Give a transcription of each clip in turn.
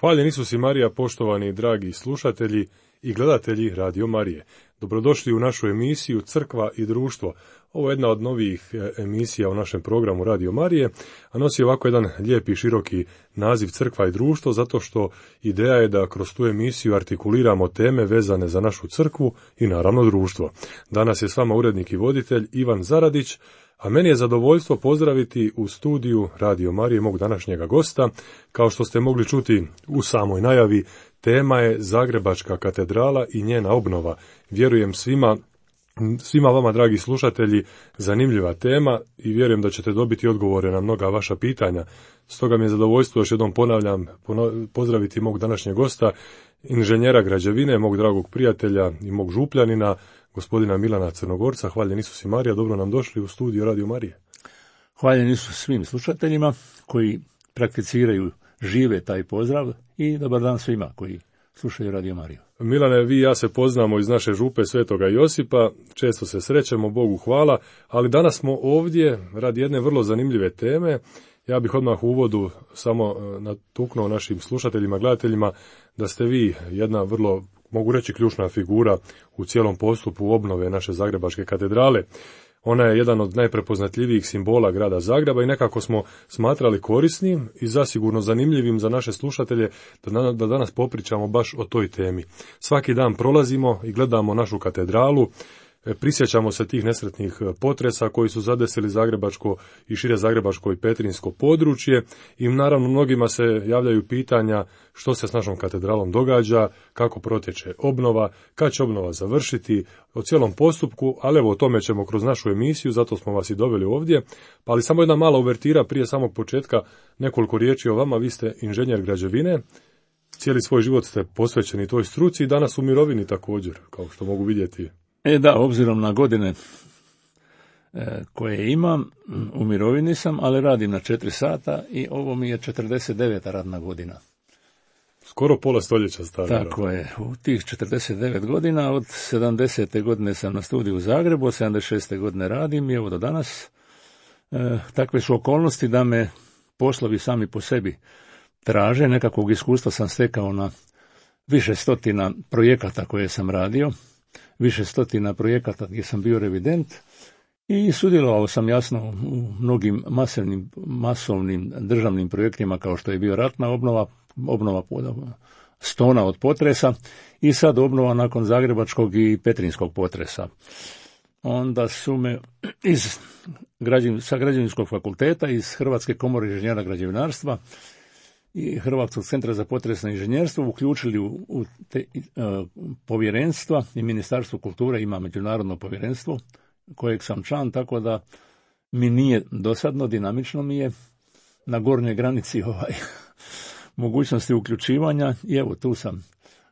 Hvaljen Isus i Marija, poštovani dragi slušatelji i gledatelji Radio Marije. Dobrodošli u našu emisiju Crkva i društvo. Ovo je jedna od novih emisija u našem programu Radio Marije, a nosi ovako jedan lijep i široki naziv Crkva i društvo, zato što ideja je da kroz tu emisiju artikuliramo teme vezane za našu crkvu i naravno društvo. Danas je s vama urednik i voditelj Ivan Zaradić, a meni je zadovoljstvo pozdraviti u studiju Radio Marije mog današnjega gosta. Kao što ste mogli čuti u samoj najavi, tema je Zagrebačka katedrala i njena obnova. Vjerujem svima vama, dragi slušatelji, zanimljiva tema i vjerujem da ćete dobiti odgovore na mnoga vaša pitanja. Stoga mi je zadovoljstvo, još jednom ponavljam, pozdraviti mog današnjeg gosta, inženjera građevine, mog dragog prijatelja i mog župljanina, gospodina Milana Crnogorca. Hvaljen Isus i Marija, dobro nam došli u studiju Radio Marije. Hvaljen Isus svim slušateljima koji prakticiraju, žive taj pozdrav i dobar dan svima koji slušaju Radio Mariju. Milane, vi i ja se poznamo iz naše župe Svetoga Josipa, često se srećemo, Bogu hvala, ali danas smo ovdje radi jedne vrlo zanimljive teme. Ja bih odmah u uvodu samo natuknuo našim slušateljima, gledateljima, da ste vi jedna vrlo, mogu reći, ključna figura u cijelom postupku obnove naše Zagrebačke katedrale. Ona je jedan od najprepoznatljivijih simbola grada Zagreba i nekako smo smatrali korisnim i zasigurno zanimljivim za naše slušatelje da danas popričamo baš o toj temi. Svaki dan prolazimo i gledamo našu katedralu, prisjećamo se tih nesretnih potresa koji su zadesili zagrebačko i šire zagrebačko i petrinjsko područje i naravno mnogima se javljaju pitanja što se s našom katedralom događa, kako protječe obnova, kad će obnova završiti, o cijelom postupku, ali evo o tome ćemo kroz našu emisiju, zato smo vas i doveli ovdje. Pa ali samo jedna mala uvertira prije samog početka, nekoliko riječi o vama. Vi ste inženjer građevine, cijeli svoj život ste posvećeni toj struci i danas u mirovini također, kao što mogu vidjeti. Da, obzirom na godine koje imam, u mirovini sam, ali radim na 4 sata i ovo mi je 49. radna godina. Skoro pola stoljeća stara. Tako je, u tih 49 godina, od 70. godine sam na studiju u Zagrebu, od 76. godine radim i evo do danas. Takve su okolnosti da me poslovi sami po sebi traže, nekakvog iskustva sam stekao na više stotina projekata koje sam radio, više stotina projekata gdje sam bio revident i sudjelovao sam jasno u mnogim masovnim državnim projektima kao što je bio ratna obnova Stona od potresa i sad obnova nakon zagrebačkog i petrinjskog potresa. Onda su me sa građevinskog fakulteta, iz Hrvatske komore inženjera građevinarstva i Hrvatskog centra za potresno inženjerstvo uključili u te povjerenstva i Ministarstvo kulture ima međunarodno povjerenstvo kojeg sam član, tako da mi nije dosadno, dinamično mi je na gornjoj granici mogućnosti uključivanja i evo tu sam,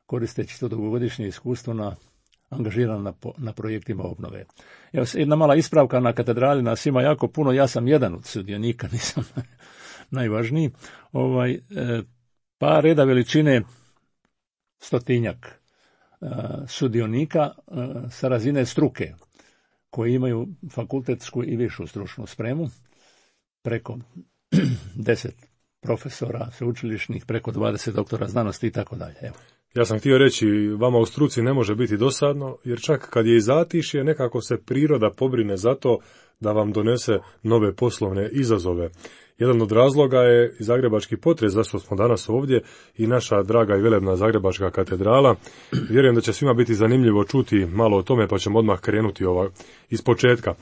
koristeći to dugogodišnje iskustvo, angažiran na projektima obnove. Evo jedna mala ispravka, na katedrali nas ima jako puno, ja sam jedan od sudionika, nisam najvažniji, pa reda veličine 100-tinjak sudionika sa razine struke koji imaju fakultetsku i višu stručnu spremu, preko 10 profesora sveučilišnih, preko 20 doktora znanosti i tako dalje. Evo. Ja sam htio reći, vama u struci ne može biti dosadno, jer čak kad je i zatišje, nekako se priroda pobrine za to da vam donese nove poslovne izazove. Jedan od razloga je i zagrebački potres, zašto smo danas ovdje, i naša draga i velebna Zagrebačka katedrala. Vjerujem da će svima biti zanimljivo čuti malo o tome, pa ćemo odmah krenuti iz početka.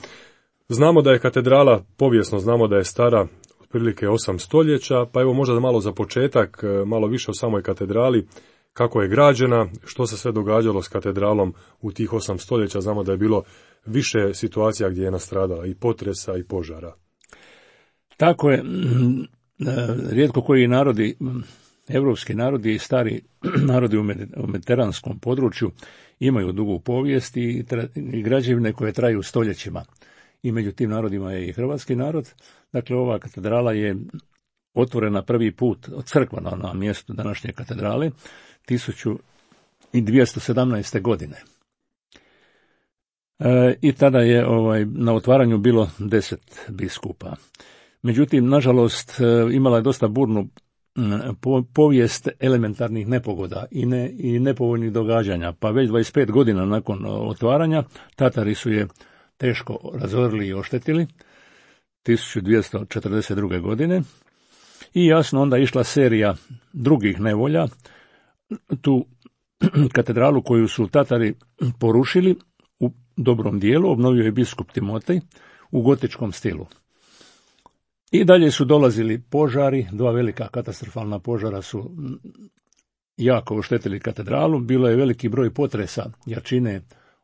Znamo da je katedrala, povijesno znamo da je stara otprilike 8 stoljeća, pa evo možda malo za početak, malo više o samoj katedrali, kako je građena, što se sve događalo s katedralom u tih 8 stoljeća. Znamo da je bilo više situacija gdje je nastradala i potresa i požara. Tako je, rijetko koji narodi, evropski narodi i stari narodi u mediteranskom području imaju dugu povijest i građevine koje traju stoljećima. I među tim narodima je i hrvatski narod. Dakle, ova katedrala je otvorena prvi put od crkva na mjestu današnje katedrale 1217. godine. I tada je na otvaranju bilo 10 biskupa. Međutim, nažalost, imala je dosta burnu povijest elementarnih nepogoda i nepovoljnih događanja, pa već 25 godina nakon otvaranja Tatari su je teško razorili i oštetili 1242. godine i jasno onda išla serija drugih nevolja. Tu katedralu koju su Tatari porušili u dobrom dijelu obnovio je biskup Timotej u gotičkom stilu. I dalje su dolazili požari, dva velika katastrofalna požara su jako oštetili katedralu, bilo je veliki broj potresa jačine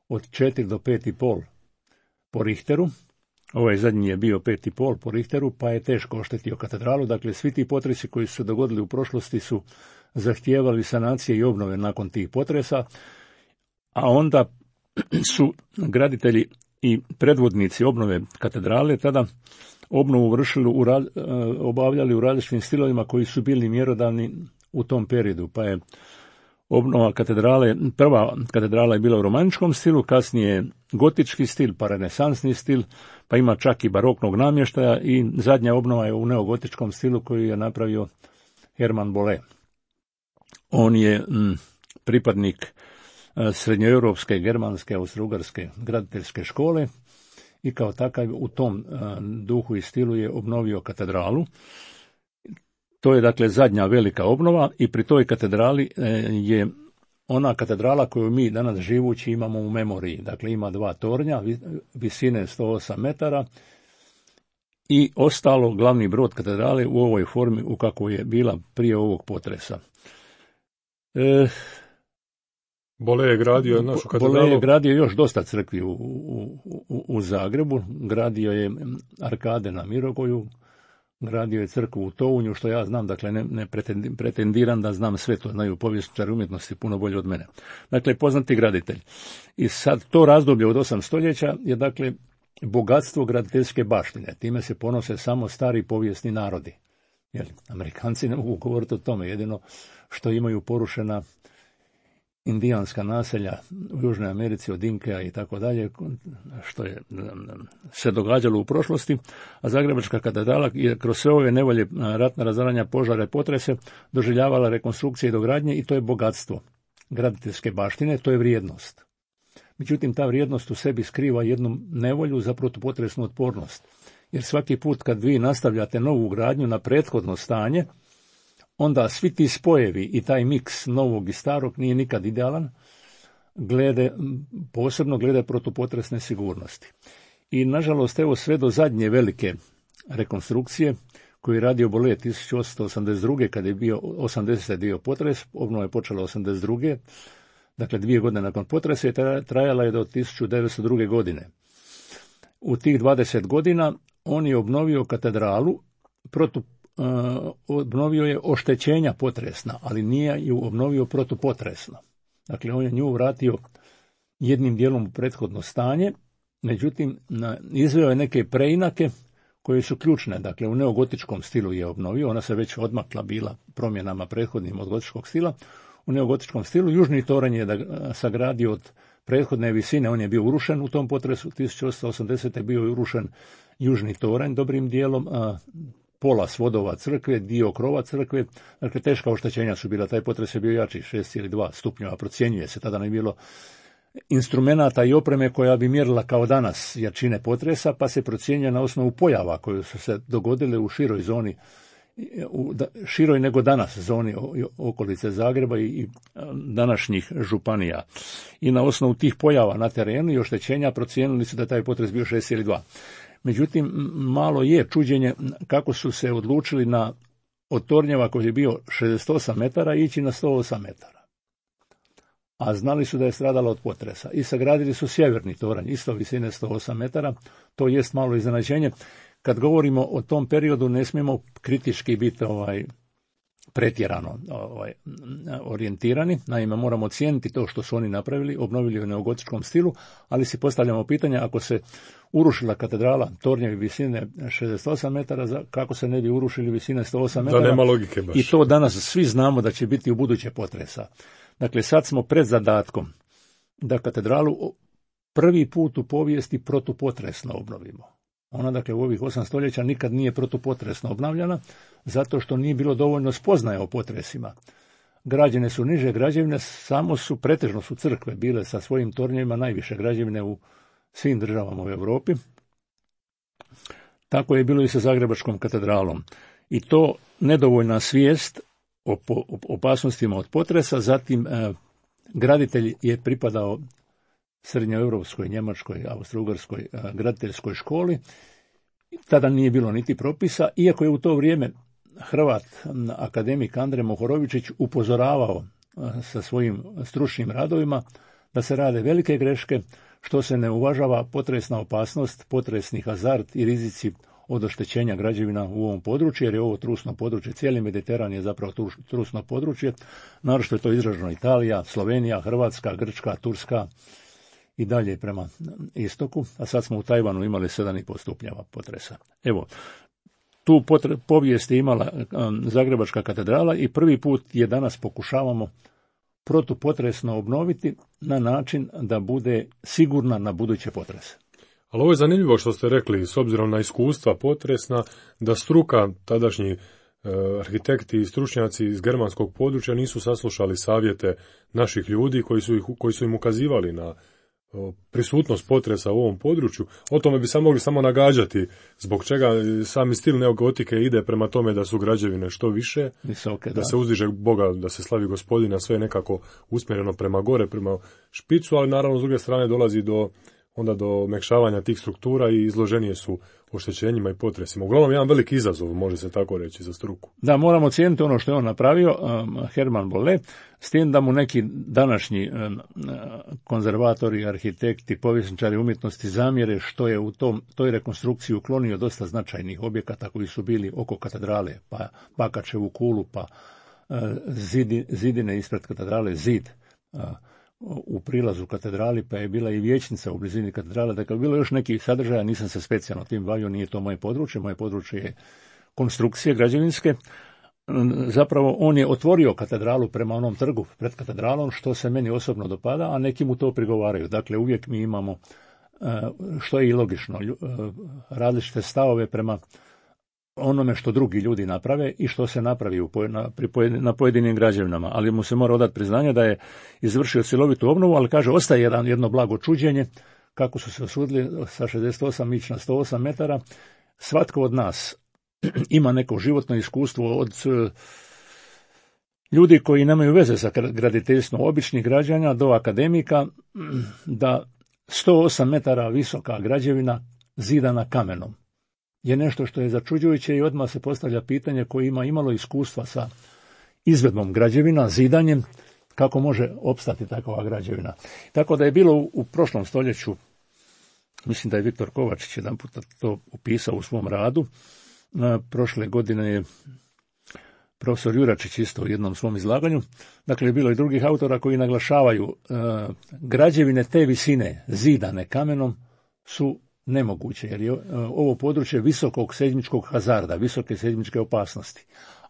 od 4 do 5,5 po Richteru. Ovaj zadnji je bio 5,5 po Richteru, pa je teško oštetio katedralu. Dakle, svi ti potresi koji su se dogodili u prošlosti su zahtijevali sanacije i obnove nakon tih potresa, a onda su graditelji i predvodnici obnove katedrale tada obnovu obavljali u različitim stilovima koji su bili mjerodavni u tom periodu, pa je obnova katedrale, prva katedrala je bila u romantičkom stilu, kasnije gotički stil, pa renesansni stil, pa ima čak i baroknog namještaja i zadnja obnova je u neogotičkom stilu koju je napravio Hermann Bolle. On je pripadnik srednjoeuropske, germanske, austrougarske graditeljske škole i kao takav u tom duhu i stilu je obnovio katedralu. To je dakle zadnja velika obnova i pri toj katedrali je ona katedrala koju mi danas živući imamo u memoriji. Dakle, ima dva tornja, visine 108 metara i ostalo glavni brod katedrale u ovoj formi u kakvoj je bila prije ovog potresa. Bolle je gradio našu katedralu. Bolle je gradio još dosta crkvi u Zagrebu, gradio je arkade na Mirogoju, gradio je crkvu u Tounju, što ja znam, dakle ne pretendiram da znam sve, to znaju povjesničari umjetnosti puno bolje od mene. Dakle, poznati graditelj. I sad to razdoblje od 8 stoljeća je dakle bogatstvo graditeljske baštine. Time se ponose samo stari povijesni narodi. Jer Amerikanci ne mogu govoriti o tome, jedino što imaju porušena indijanska naselja u Južnoj Americi od Inkea i tako dalje, što je se događalo u prošlosti, a Zagrebačka katedrala je kroz sve ove nevolje, ratna razaranja, požare, potrese doživljavala rekonstrukcije i dogradnje i to je bogatstvo graditeljske baštine, to je vrijednost. Međutim, ta vrijednost u sebi skriva jednu nevolju za protupotresnu otpornost, jer svaki put kad vi nastavljate novu gradnju na prethodno stanje, onda svi ti spojevi i taj miks novog i starog nije nikad idealan, posebno glede protupotresne sigurnosti. I nažalost, evo sve do zadnje velike rekonstrukcije koju je radio Bolle 1882. kad je bio 80. bio potres, obnova je počela 82. Dakle 2 godine nakon potresa i trajala je do 1902. godine. U tih 20 godina on je obnovio katedralu, obnovio je oštećenja potresna, ali nije ju obnovio protupotresno. Dakle, on je nju vratio jednim dijelom u prethodno stanje, međutim, izveo je neke preinake koje su ključne. Dakle, u neogotičkom stilu je obnovio, ona se već odmakla bila promjenama prethodnim od gotičkog stila. U neogotičkom stilu južni toranj je sagradio od prethodne visine, on je bio urušen u tom potresu, 1880. bio je urušen južni toranj dobrim dijelom, pola svodova crkve, dio krova crkve, dakle teška oštećenja su bila, taj potres je bio jači, 6,2 stupnjeva, procjenjuje se, tada ne bilo instrumenata i opreme koja bi mjerila kao danas jačine potresa, pa se procjenjuje na osnovu pojava koje su se dogodile u široj zoni, široj nego danas zoni okolice Zagreba i današnjih županija. I na osnovu tih pojava na terenu i oštećenja procijenili su da taj potres bio 6,2. Međutim, malo je čuđenje kako su se odlučili od tornjeva koji je bio 68 metara ići na 108 metara. A znali su da je stradala od potresa. I sagradili su sjeverni toranj, isto visine 108 metara. To jest malo iznenađenje. Kad govorimo o tom periodu, ne smijemo kritički biti pretjerano orijentirani. Naime, moramo cijeniti to što su oni napravili, obnovili u neogotičkom stilu, ali si postavljamo pitanje, ako se urušila katedrala tornjevi visine 68 metara, kako se ne bi urušili visine 108 metara? Da, nema logike baš. I to danas svi znamo da će biti u buduće potresa. Dakle, sad smo pred zadatkom da katedralu prvi put u povijesti protupotresno obnovimo. Ona, dakle, u ovih 8 stoljeća nikad nije protupotresno obnavljana, zato što nije bilo dovoljno spoznaje o potresima. Građene su niže građevine, pretežno su crkve bile sa svojim tornjevima najviše građevine u svim državama u Europi. Tako je bilo i sa Zagrebačkom katedralom. I to nedovoljna svijest o opasnostima od potresa, zatim graditelj je pripadao srednjoeuropskoj, njemačkoj, austrougarskoj graditeljskoj školi. Tada nije bilo niti propisa, iako je u to vrijeme Hrvat, akademik Andrej Mohorovičić, upozoravao sa svojim stručnim radovima da se rade velike greške, što se ne uvažava potresna opasnost, potresni hazard i rizici od oštećenja građevina u ovom području, jer je ovo trusno područje, cijeli Mediteran je zapravo trusno područje, naročito je to izraženo Italija, Slovenija, Hrvatska, Grčka, Turska i dalje prema istoku, a sad smo u Tajvanu imali 7,5 stupnjeva potresa. Evo, tu povijest je imala Zagrebačka katedrala i prvi put je danas pokušavamo protupotresno obnoviti na način da bude sigurna na buduće potrese. Ali ovo je zanimljivo što ste rekli, s obzirom na iskustva potresna, da struka, tadašnji arhitekti i stručnjaci iz germanskog područja nisu saslušali savjete naših ljudi koji su im ukazivali na prisutnost potresa u ovom području. O tome bi mogli samo nagađati zbog čega sami stil neogotike ide prema tome da su građevine što više, visoke, da se uzdiže Boga, da se slavi Gospodina, sve je nekako usmjereno prema gore, prema špicu, ali naravno s druge strane dolazi do omekšavanja tih struktura i izloženije su oštećenjima i potresima. Uglavnom jedan veliki izazov, može se tako reći, za struku. Da, moramo cijeniti ono što je on napravio, Herman Bolle, s tim da mu neki današnji konzervatori, arhitekti, povjesničari umjetnosti zamjere što je u toj rekonstrukciji uklonio dosta značajnih objekata koji su bili oko katedrale, pa Bakačevu kulu, pa zidine ispred katedrale, zid u prilazu katedrali, pa je bila i vijećnica u blizini katedrale. Dakle, bilo još nekih sadržaja, nisam se specijalno tim bavio, nije to moje područje je konstrukcije građevinske. Zapravo on je otvorio katedralu prema onom trgu pred katedralom, što se meni osobno dopada, a neki mu to prigovaraju. Dakle, uvijek mi imamo, što je i logično, različite stavove prema onome što drugi ljudi naprave i što se napravi na pojedinim građevinama, ali mu se mora odati priznanje da je izvršio cjelovitu obnovu, ali kaže, ostaje jedno blago čuđenje, kako su se osudili sa 68 ići na 108 metara. Svatko od nas ima neko životno iskustvo, od ljudi koji nemaju veze sa graditeljstvom, običnih građana do akademika, da 108 metara visoka građevina zidana kamenom je nešto što je začuđujuće i odmah se postavlja pitanje koji ima imalo iskustva sa izvedbom građevina, zidanjem, kako može opstati takva građevina. Tako da je bilo u prošlom stoljeću, mislim da je Viktor Kovačić jedan puta to upisao u svom radu, prošle godine je profesor Juračić isto u jednom svom izlaganju, dakle je bilo i drugih autora koji naglašavaju građevine te visine zidane kamenom su nemoguće, jer je ovo područje visokog seizmičkog hazarda, visoke seizmičke opasnosti.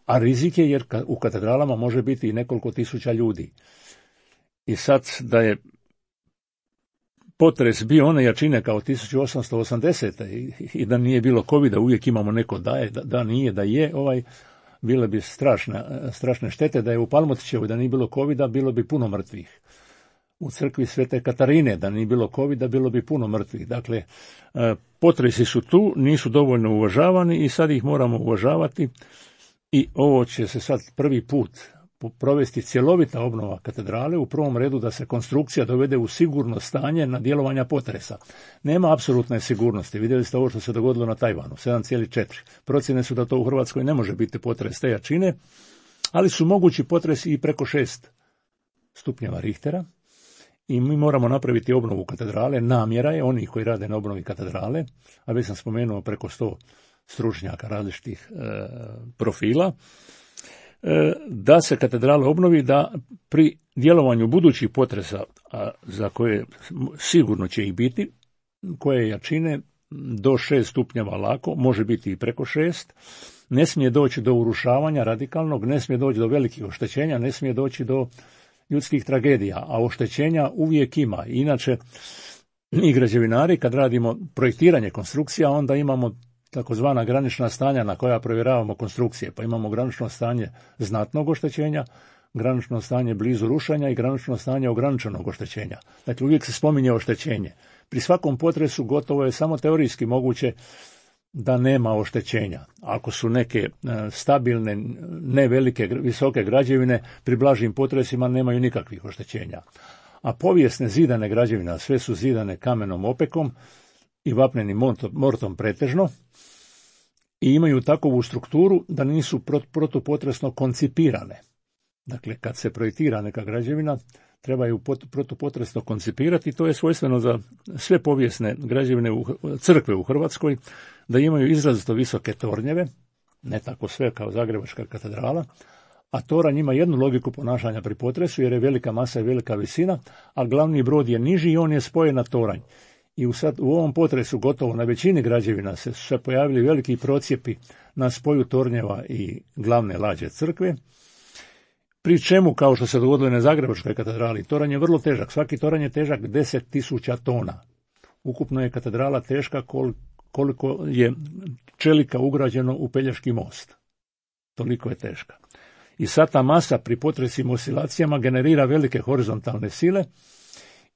A rizik je jer u katedralama može biti i nekoliko tisuća ljudi. I sad da je potres bio one jačine kao 1880. i da nije bilo covida, uvijek imamo neko da nije, da je, bile bi strašne štete. Da je u Palmotićevoj da nije bilo covida, bilo bi puno mrtvih. U crkvi Svete Katarine da nije bilo covida, bilo bi puno mrtvih. Dakle, potresi su tu, nisu dovoljno uvažavani i sad ih moramo uvažavati i ovo će se sad prvi put provesti cjelovita obnova katedrale, u prvom redu da se konstrukcija dovede u sigurno stanje na djelovanja potresa. Nema apsolutne sigurnosti. Vidjeli ste ovo što se dogodilo na Tajvanu, 7,4. Procjene su da to u Hrvatskoj ne može biti potres te jačine, ali su mogući potresi i preko 6 stupnjeva Richtera. I mi moramo napraviti obnovu katedrale. Namjera je onih koji rade na obnovi katedrale, a već sam spomenuo preko 100 stručnjaka različitih profila, da se katedrala obnovi, da pri djelovanju budućih potresa, za koje sigurno će ih biti, koje jačine do 6 stupnjeva lako, može biti i preko 6, ne smije doći do urušavanja radikalnog, ne smije doći do velikih oštećenja, ne smije doći do ljudskih tragedija, a oštećenja uvijek ima. Inače, mi građevinari kad radimo projektiranje konstrukcija, onda imamo takozvana granična stanja na koja provjeravamo konstrukcije. Pa imamo granično stanje znatnog oštećenja, granično stanje blizu rušenja i granično stanje ograničenog oštećenja. Dakle, uvijek se spominje oštećenje. Pri svakom potresu gotovo je samo teorijski moguće da nema oštećenja. Ako su neke stabilne, ne velike, visoke građevine, pri blažim potresima nemaju nikakvih oštećenja. A povijesne zidane građevine, sve su zidane kamenom opekom i vapnenim mortom pretežno i imaju takovu strukturu da nisu protupotresno koncipirane. Dakle, kad se projektira neka građevina, treba ju protupotresno koncipirati. To je svojstveno za sve povijesne građevine, crkve u Hrvatskoj, da imaju izrazito visoke tornjeve, ne tako sve kao Zagrebačka katedrala, a toranj ima jednu logiku ponašanja pri potresu, jer je velika masa i velika visina, a glavni brod je niži i on je spojen na toranj. I u ovom potresu gotovo na većini građevina se pojavili veliki procijepi na spoju tornjeva i glavne lađe crkve, pri čemu, kao što se dogodilo na Zagrebačkoj katedrali, toranj je vrlo težak. Svaki toranj je težak 10.000 tona. Ukupno je katedrala teška koliko je čelika ugrađeno u Pelješki most. Toliko je teška. I sad ta masa pri potresima oscilacijama generira velike horizontalne sile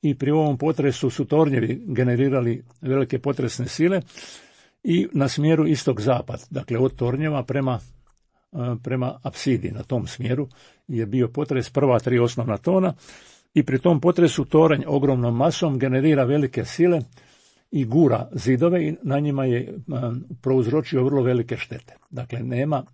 i pri ovom potresu su tornjevi generirali velike potresne sile i na smjeru istok-zapad, dakle od tornjeva prema apsidi. Na tom smjeru je bio potres prva 3 osnovna tona i pri tom potresu toranj ogromnom masom generira velike sile i gura zidove i na njima je prouzročio vrlo velike štete. Dakle, nema,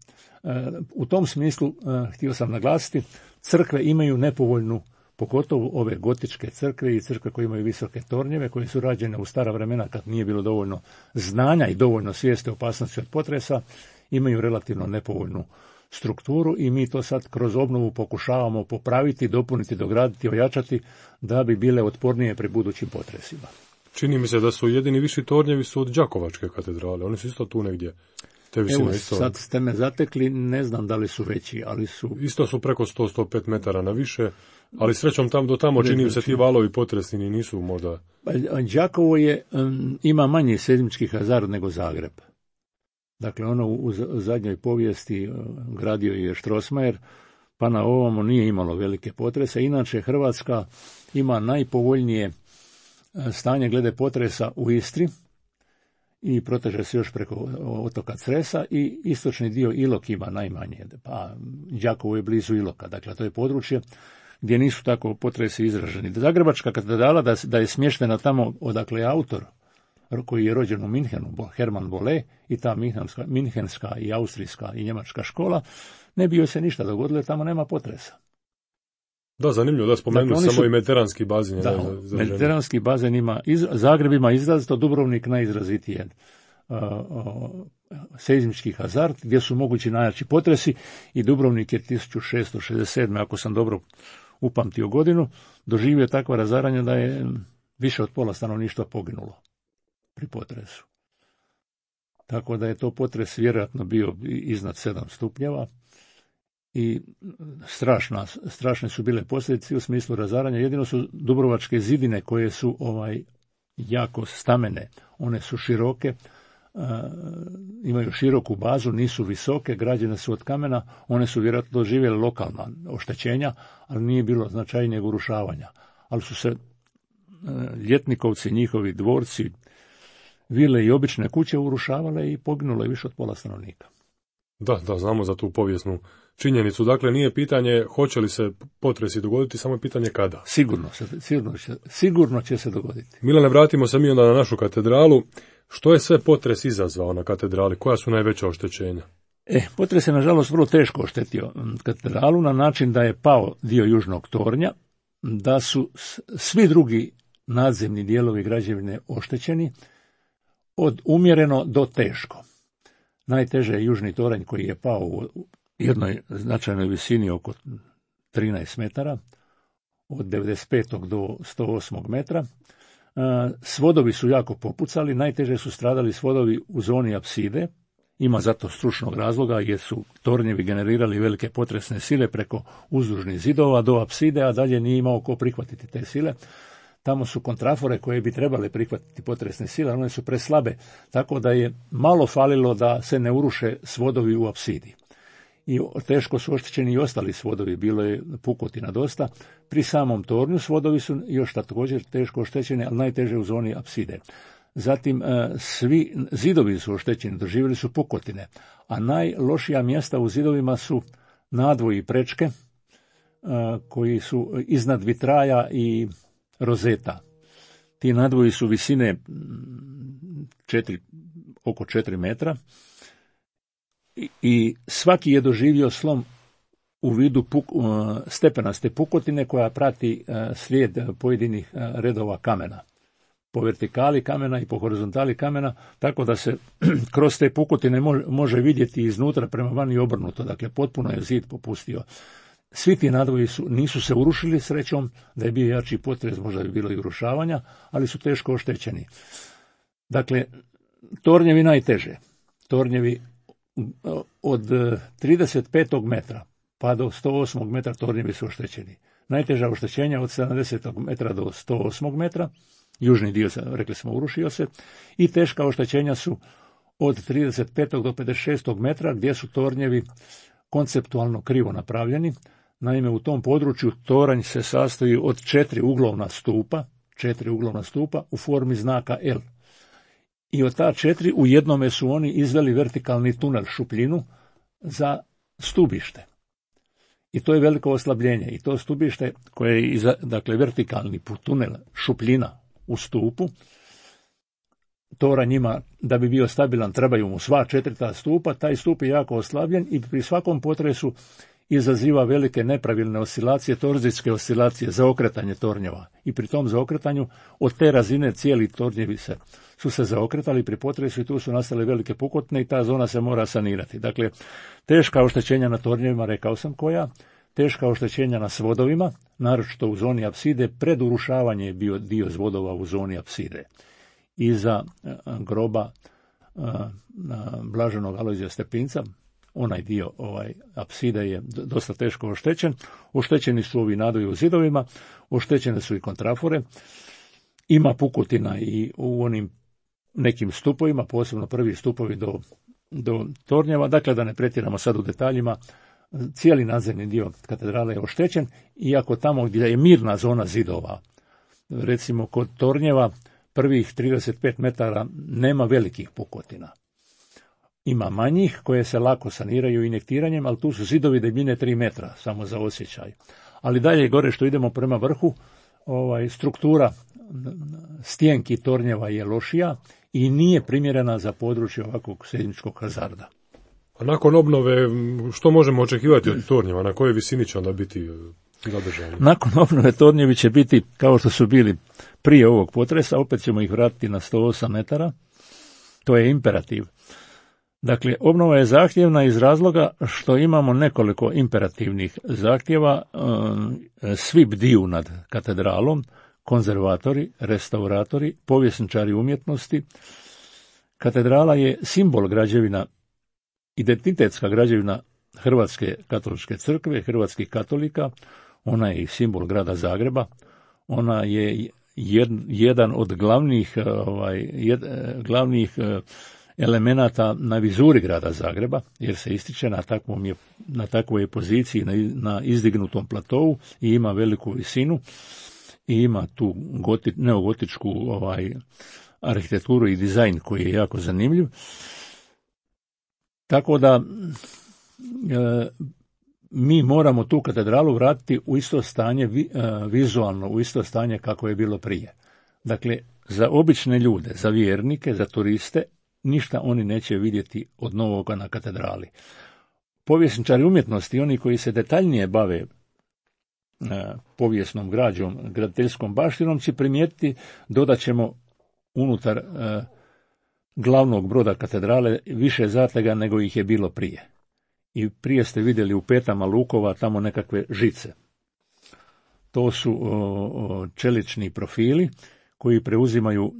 u tom smislu, htio sam naglasiti, crkve imaju nepovoljnu, pogotovo ove gotičke crkve i crkve koje imaju visoke tornjeve, koje su rađene u stara vremena kad nije bilo dovoljno znanja i dovoljno svijesti o opasnosti od potresa, imaju relativno nepovoljnu strukturu i mi to sad kroz obnovu pokušavamo popraviti, dopuniti, dograditi, ojačati da bi bile otpornije pri budućim potresima. Čini mi se da su jedini viši tornjevi su od Đakovačke katedrale, oni su isto tu negdje. Evo, sad ste me zatekli, ne znam da li su veći, ali su... Isto su preko 100-105 metara na više, ali srećom do tamo čini mi se ti valovi potresni nisu možda... Đakovo ima manji seizmički hazard nego Zagreb. Dakle, ono u zadnjoj povijesti gradio je Strossmayer, pa na ovamo nije imalo velike potrese. Inače, Hrvatska ima najpovoljnije stanje glede potresa u Istri i proteže se još preko otoka Cresa i istočni dio Ilok ima najmanje, pa Đakovo je blizu Iloka, dakle to je područje gdje nisu tako potresi izraženi. Zagrebačka katedrala da je smještena tamo odakle je autor koji je rođen u Minhenu, Hermann Bolle, i ta minhenska i austrijska i njemačka škola, ne bi joj se ništa dogodilo, tamo nema potresa. Da, zanimljivo da spomenuli, dakle, samo i mediteranski bazen. Da, mediteranski bazen ima, Zagreb ima izrazito, Dubrovnik najizrazitije seizmički hazard, gdje su mogući najjači potresi, i Dubrovnik je 1667. ako sam dobro upamtio godinu, doživio takva razaranja da je više od pola stanovništva poginulo pri potresu. Tako da je to potres vjerojatno bio iznad 7 stupnjeva i strašne su bile posljedice u smislu razaranja. Jedino su dubrovačke zidine koje su jako stamene, one su široke, imaju široku bazu, nisu visoke, građene su od kamena, one su vjerojatno doživjele lokalna oštećenja, ali nije bilo značajnijeg urušavanja. Ali su se ljetnikovci, njihovi dvorci, vile i obične kuće urušavale i poginulo je više od pola stanovnika. Da, znamo za tu povijesnu činjenicu. Dakle, nije pitanje hoće li se potresi dogoditi, samo je pitanje kada. Sigurno će se dogoditi. Milane, vratimo se mi onda na našu katedralu. Što je sve potres izazvao na katedrali? Koja su najveća oštećenja? Potres je nažalost vrlo teško oštetio katedralu na način da je pao dio južnog tornja, da su svi drugi nadzemni dijelovi građevine oštećeni, od umjereno do teško. Najteže je južni toranj koji je pao u jednoj značajnoj visini oko 13 metara, od 95. do 108. metra. Svodovi su jako popucali, najteže su stradali svodovi u zoni apside, ima zato stručnog razloga jer su tornjevi generirali velike potresne sile preko uzdužnih zidova do apside, a dalje nije imao ko prihvatiti te sile. tamo su kontrafore koje bi trebale prihvatiti potresne sile, one su preslabe, tako da je malo falilo da se ne uruše svodovi u apsidi. I teško su oštećeni i ostali svodovi, bilo je pukotina dosta. Pri samom tornju svodovi su još također teško oštećeni, ali najteže u zoni apside. Zatim svi zidovi su oštećeni, doživjeli su pukotine, a najlošija mjesta u zidovima su nadvoji prečke, koji su iznad vitraja i rozeta. Ti nadvoji su visine oko 4 metra i svaki je doživio slom u vidu stepenaste pukotine koja prati slijed pojedinih redova kamena. Po vertikali kamena i po horizontali kamena, tako da se kroz te pukotine može vidjeti iznutra prema van i obrnuto. Dakle, potpuno je zid popustio. Svi ti nadvoji nisu se urušili srećom, da je bio jači potres, možda bi bilo i urušavanja, ali su teško oštećeni. Dakle, tornjevi najteže. Tornjevi od 35. metra pa do 108. metra tornjevi su oštećeni. Najteža oštećenja od 70. metra do 108. metra, južni dio, rekli smo, urušio se, i teška oštećenja su od 35. do 56. metra, gdje su tornjevi konceptualno krivo napravljeni. Naime, u tom području toranj se sastoji od 4 uglovna stupa u formi znaka L. I od ta 4 u jednome su oni izveli vertikalni tunel, šupljinu, za stubište. I to je veliko oslabljenje. I to stubište koje je, dakle, vertikalni tunel, šupljina u stupu, toranj ima, da bi bio stabilan, trebaju mu sva 4 ta stupa, taj stup je jako oslabljen i pri svakom potresu izaziva velike nepravilne oscilacije, torzijske oscilacije, zaokretanje tornjeva. I pri tom zaokretanju od te razine cijeli tornjevi su se zaokretali pri potresu i tu su nastale velike pukotine i ta zona se mora sanirati. Dakle, teška oštećenja na tornjevima, rekao sam koja, teška oštećenja na svodovima, naročito u zoni apside, pred urušavanje je bio dio zvodova u zoni apside. Iza groba blaženog Alojzija Stepinca, onaj dio apside je dosta teško oštećen. Oštećeni su ovi nadvoji u zidovima, oštećene su i kontrafore. Ima pukotina i u onim nekim stupovima, posebno prvi stupovi do tornjeva. Dakle, da ne pretjeramo sad u detaljima, cijeli nadzemni dio katedrale je oštećen, iako tamo gdje je mirna zona zidova, recimo kod tornjeva, prvih 35 metara nema velikih pukotina. Ima manjih koje se lako saniraju injektiranjem, ali tu su zidovi debljine 3 metra, samo za osjećaj. Ali dalje gore što idemo prema vrhu, struktura stijenki tornjeva je lošija i nije primjerena za područje ovakvog seizmičkog hazarda. A nakon obnove, što možemo očekivati od tornjeva? Na kojoj visini će onda biti zadržani? Nakon obnove tornjevi će biti kao što su bili prije ovog potresa, opet ćemo ih vratiti na 108 metara. To je imperativ. Dakle, obnova je zahtjevna iz razloga što imamo nekoliko imperativnih zahtjeva. Svi bdiju nad katedralom, konzervatori, restauratori, povjesničari umjetnosti. Katedrala je simbol građevina, identitetska građevina Hrvatske katoličke crkve, hrvatskih katolika. Ona je i simbol grada Zagreba. Ona je jedan od glavnih elemenata na vizuri grada Zagreba, jer se ističe na takvoj poziciji, na izdignutom platovu i ima veliku visinu i ima tu neogotičku arhitekturu i dizajn koji je jako zanimljiv. Tako da mi moramo tu katedralu vratiti u isto stanje, vizualno u isto stanje kako je bilo prije. Dakle, za obične ljude, za vjernike, za turiste, ništa oni neće vidjeti od novoga na katedrali. Povjesničari umjetnosti, oni koji se detaljnije bave povijesnom građom, graditeljskom baštinom, će primijetiti dodat ćemo unutar glavnog broda katedrale više zatega nego ih je bilo prije. I prije ste vidjeli u petama lukova tamo nekakve žice. To su čelični profili koji preuzimaju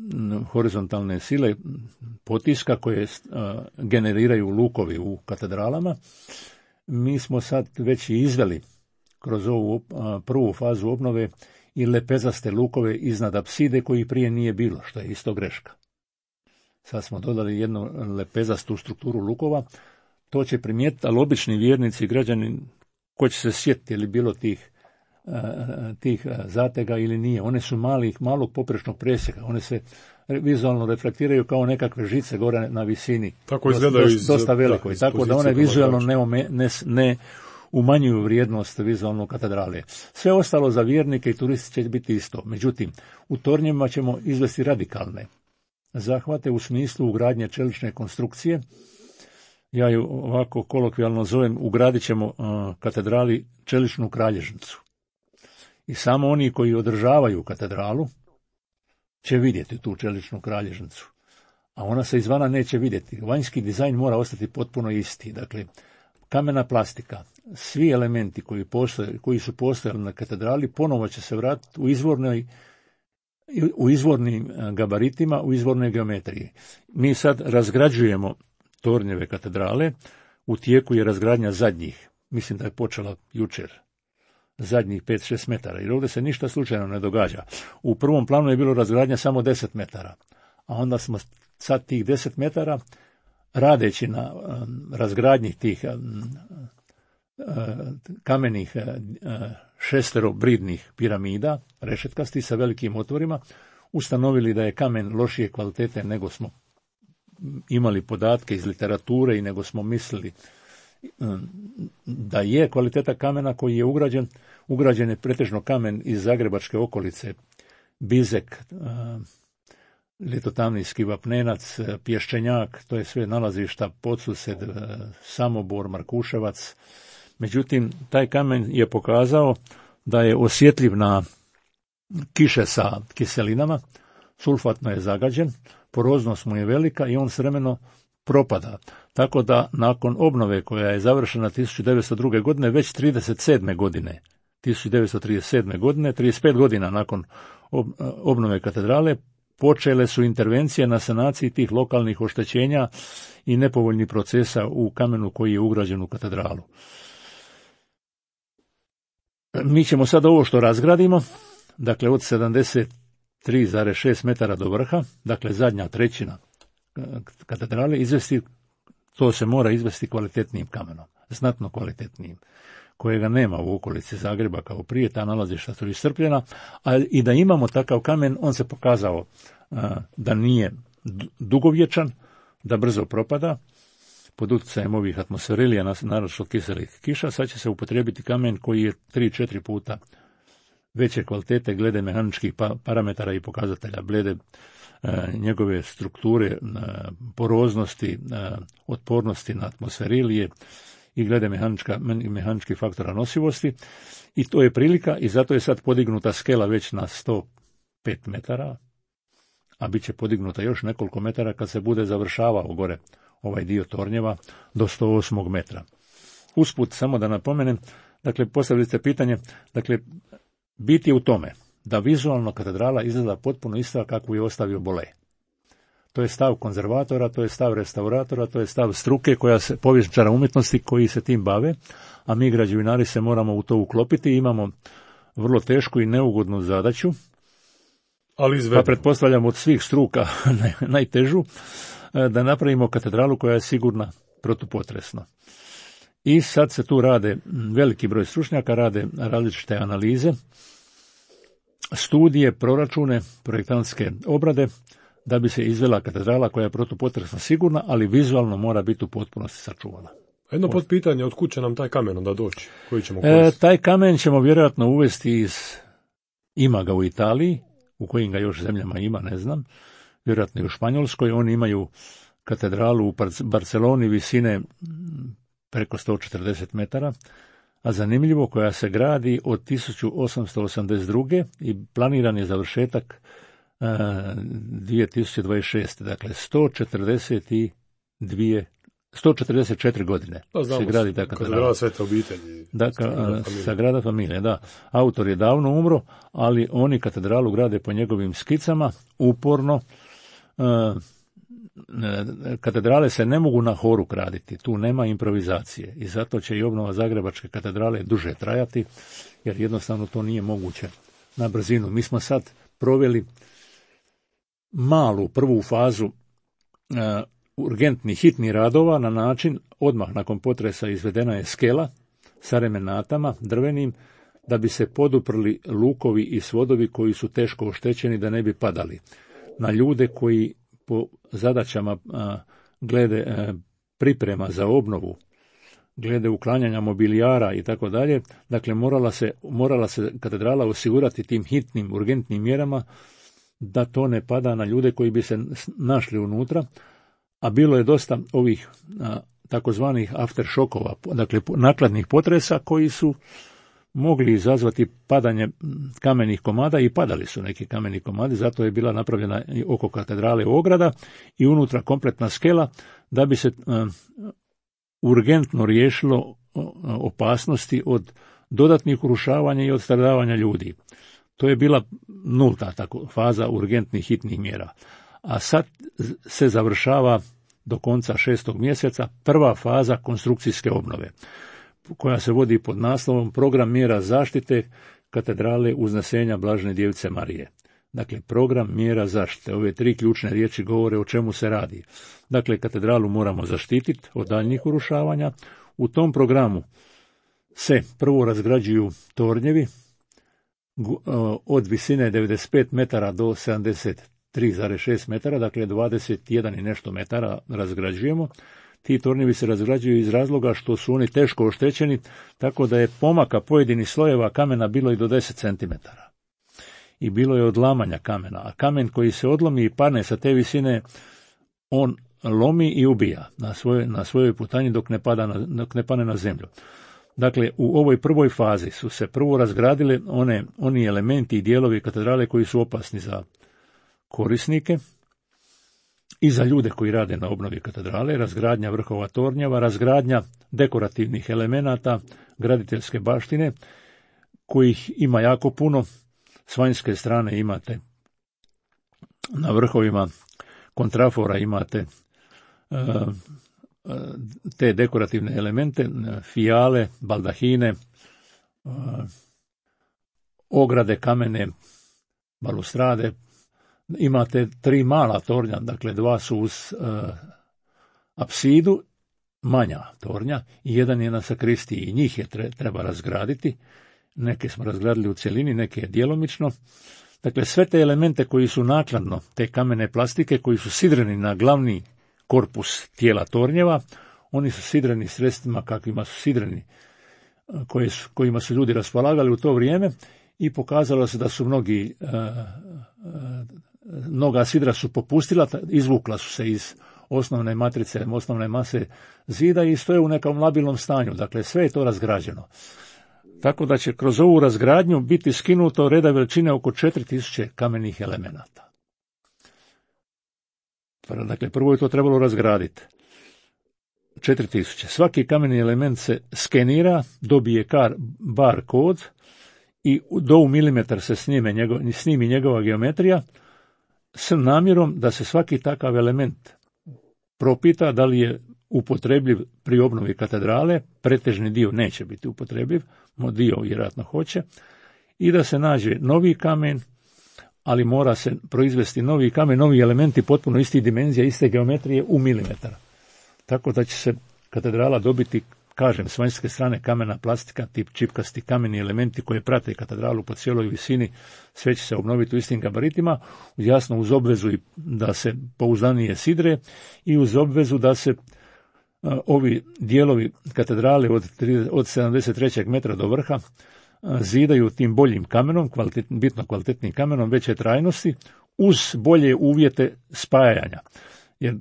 horizontalne sile potiska koje generiraju lukovi u katedralama. Mi smo sad već i izveli kroz ovu prvu fazu obnove i lepezaste lukove iznad apside koji prije nije bilo, što je isto greška. Sad smo dodali jednu lepezastu strukturu lukova, to će primijetiti, ali obični vjernici i građani, ko će se sjetiti ili bilo tih zatega ili nije. One su malog poprečnog presjeka, one se vizualno reflektiraju kao nekakve žice gore na visini. Tako izgledaju dosta veliko, tako da one vizualno ne umanjuju vrijednost vizualno katedrale. Sve ostalo za vjernike i turisti će biti isto. Međutim, u tornjevima ćemo izvesti radikalne zahvate u smislu ugradnje čelične konstrukcije. Ja ju ovako kolokvijalno zovem, ugradit ćemo katedrali čeličnu kralježnicu. I samo oni koji održavaju katedralu će vidjeti tu čeličnu kralježnicu. A ona se izvana neće vidjeti. Vanjski dizajn mora ostati potpuno isti. Dakle, kamena plastika, svi elementi koji su postojali na katedrali ponovo će se vratiti u izvornim gabaritima, u izvornoj geometriji. Mi sad razgrađujemo tornjeve katedrale, u tijeku je razgradnja zadnjih, mislim da je počela jučer, zadnjih 5-6 metara, jer ovdje se ništa slučajno ne događa. U prvom planu je bilo razgradnja samo 10 metara, a onda smo sad tih 10 metara, radeći na razgradnji tih kamenih šesterobridnih piramida, rešetkasti sa velikim otvorima, ustanovili da je kamen lošije kvalitete nego smo imali podatke iz literature i nego smo mislili da je kvaliteta kamena koji je ugrađen je pretežno kamen iz zagrebačke okolice, bizek, litotamnijski vapnenac, pješčenjak, to je sve nalazišta Podsused, Samobor, Markuševac. Međutim, taj kamen je pokazao da je osjetljiv na kiše sa kiselinama, sulfatno je zagađen, poroznost mu je velika i on s vremenom propada. Tako da nakon obnove koja je završena 1902. godine, već 1937. godine, 35 godina nakon obnove katedrale, počele su intervencije na sanaciji tih lokalnih oštećenja i nepovoljnih procesa u kamenu koji je ugrađen u katedralu. Mi ćemo sad ovo što razgradimo, dakle od 73,6 metara do vrha, dakle zadnja trećina katedrale, to se mora izvesti kvalitetnijim kamenom, znatno kvalitetnijim, kojega nema u okolici Zagreba kao prije, ta nalazišta su iscrpljena, a i da imamo takav kamen, on se pokazao da nije dugovječan, da brzo propada, pod utjecajem ovih atmosferilija, naročito kiselih kiša. Sad će se upotrijebiti kamen koji je 3-4 puta veće kvalitete glede mehaničkih parametara i pokazatelja, glede njegove strukture, poroznosti, otpornosti na atmosferilije i glede mehaničkih faktora nosivosti. I to je prilika i zato je sad podignuta skela već na 105 metara, a bit će podignuta još nekoliko metara kad se bude završavao gore ovaj dio tornjeva do 108 metra. Usput samo da napomenem, dakle postavili ste pitanje, dakle bit je u tome da vizualno katedrala izgleda potpuno ista kakvu je ostavio Bole. To je stav konzervatora, to je stav restauratora, to je stav struke povjesničara umjetnosti koji se tim bave, a mi građevinari se moramo u to uklopiti. Imamo vrlo tešku i neugodnu zadaću, pa pretpostavljam od svih struka najtežu, da napravimo katedralu koja je sigurna protupotresno. I sad se tu rade, veliki broj stručnjaka rade različite analize, studije, proračune, projektantske obrade, da bi se izvela katedrala koja je protupotresno sigurna, ali vizualno mora biti u potpunosti sačuvana. Jedno potpitanje, od kud će nam taj kamen onda doći? Koji ćemo koristiti? Taj kamen ćemo vjerojatno uvesti ima ga u Italiji, u kojim ga još zemljama ima, ne znam, vjerojatno i u Španjolskoj. Oni imaju katedralu u Barceloni visine preko 140 metara, a zanimljivo koja se gradi od 1882. i planiran je završetak 2026. Dakle, 144 godine se gradi ta katedrala. Svete obitelji. Sagrada Familija, da. Autor je davno umro, ali oni katedralu grade po njegovim skicama, uporno. Katedrale se ne mogu na horu graditi, tu nema improvizacije i zato će i obnova Zagrebačke katedrale duže trajati, jer jednostavno to nije moguće na brzinu. Mi smo sad proveli malu prvu fazu urgentnih hitnih radova na način, odmah nakon potresa izvedena je skela sa remenatama drvenim, da bi se poduprli lukovi i svodovi koji su teško oštećeni da ne bi padali. Na ljude koji po zadaćama glede priprema za obnovu, glede uklanjanja mobilijara i tako dalje, dakle morala se katedrala osigurati tim hitnim, urgentnim mjerama da to ne pada na ljude koji bi se našli unutra, a bilo je dosta ovih takozvanih afteršokova, dakle nakladnih potresa koji su mogli izazvati padanje kamenih komada i padali su neki kameni komadi, zato je bila napravljena i oko katedrale ograda i unutra kompletna skela da bi se urgentno riješilo opasnosti od dodatnih urušavanja i od stradavanja ljudi. To je bila nulta faza urgentnih hitnih mjera. A sad se završava do konca 6. mjeseca prva faza konstrukcijske obnove, koja se vodi pod naslovom Program mjera zaštite katedrale Uznesenja Blažene Djevice Marije. Dakle, program mjera zaštite. Ove 3 ključne riječi govore o čemu se radi. Dakle, katedralu moramo zaštititi od daljnjih urušavanja. U tom programu se prvo razgrađuju tornjevi od visine 95 metara do 73,6 metara, dakle 21 i nešto metara razgrađujemo. Ti tornjevi se razgrađuju iz razloga što su oni teško oštećeni, tako da je pomaka pojedinih slojeva kamena bilo i do 10 cm. I bilo je odlamanja kamena, a kamen koji se odlomi i padne sa te visine, on lomi i ubija na svojoj putanji dok ne padne na zemlju. Dakle, u ovoj prvoj fazi su se prvo razgradile oni elementi i dijelovi katedrale koji su opasni za korisnike i za ljude koji rade na obnovi katedrale, razgradnja vrhova tornjeva, razgradnja dekorativnih elemenata, graditeljske baštine, kojih ima jako puno. S vanjske strane imate na vrhovima kontrafora imate te dekorativne elemente, fijale, baldahine, ograde kamene, balustrade. Imate 3 mala tornja, dakle 2 su uz apsidu, manja tornja, i jedan je na sakristiji, i njih treba razgraditi. Neke smo razgradili u cjelini, neke djelomično. Dakle, sve te elemente koji su naknadno, te kamene plastike koji su sidreni na glavni korpus tijela tornjeva, oni su sidreni sredstvima kakvima su sidreni, kojima su ljudi raspolagali u to vrijeme, i pokazalo se da su mnoga sidra su popustila, izvukla su se iz osnovne matrice, osnovne mase zida i stoje u nekom labilnom stanju. Dakle, sve je to razgrađeno. Tako da će kroz ovu razgradnju biti skinuto reda veličine oko 4000 kamenih elemenata. Dakle, prvo je to trebalo razgraditi. 4000. Svaki kameni element se skenira, dobije bar kod i do milimetar se snimi njegova geometrija s namjerom da se svaki takav element propita da li je upotrebljiv pri obnovi katedrale. Pretežni dio neće biti upotrebljiv, dio vjerojatno hoće, i da se nađe novi kamen, ali mora se proizvesti novi kamen, novi elementi potpuno istih dimenzija, iste geometrije u milimetar. Tako da će se katedrala dobiti, kažem, s vanjske strane kamena plastika, tip čipkasti kameni elementi koji prate katedralu po cijeloj visini, sve će se obnoviti u istim gabaritima, jasno uz obvezu da se pouzdanije sidre i uz obvezu da se ovi dijelovi katedrale od 73. metra do vrha zidaju tim boljim kamenom, bitno kvalitetnim kamenom veće trajnosti, uz bolje uvjete spajanja. Jer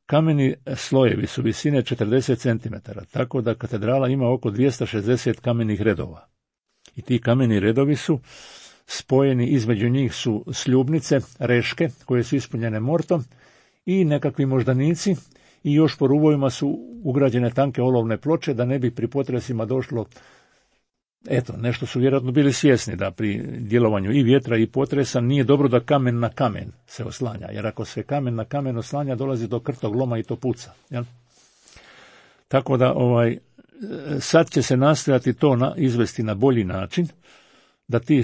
kameni slojevi su visine 40 cm, tako da katedrala ima oko 260 kamenih redova. I ti kameni redovi su spojeni, između njih su sljubnice, reške, koje su ispunjene mortom, i nekakvi moždanici, i još po rubovima su ugrađene tanke olovne ploče da ne bi pri potresima došlo. Nešto su vjerojatno bili svjesni da pri djelovanju i vjetra i potresa nije dobro da kamen na kamen se oslanja, jer ako se kamen na kamen oslanja dolazi do krtog loma i to puca. Jel? Tako da sad će se nastojati to izvesti na bolji način, da ti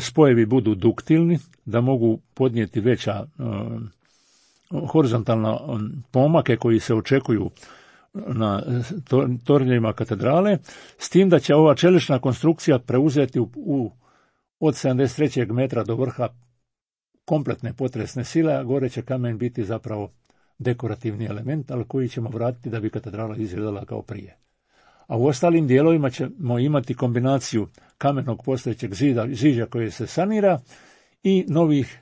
spojevi budu duktilni, da mogu podnijeti veća horizontalna pomake koji se očekuju na tornjevima katedrale, s tim da će ova čelična konstrukcija preuzeti od 73. metra do vrha kompletne potresne sile, a gore će kamen biti zapravo dekorativni element, ali koji ćemo vratiti da bi katedrala izgledala kao prije. A u ostalim dijelovima ćemo imati kombinaciju kamenog postojećeg ziđa koje se sanira i novih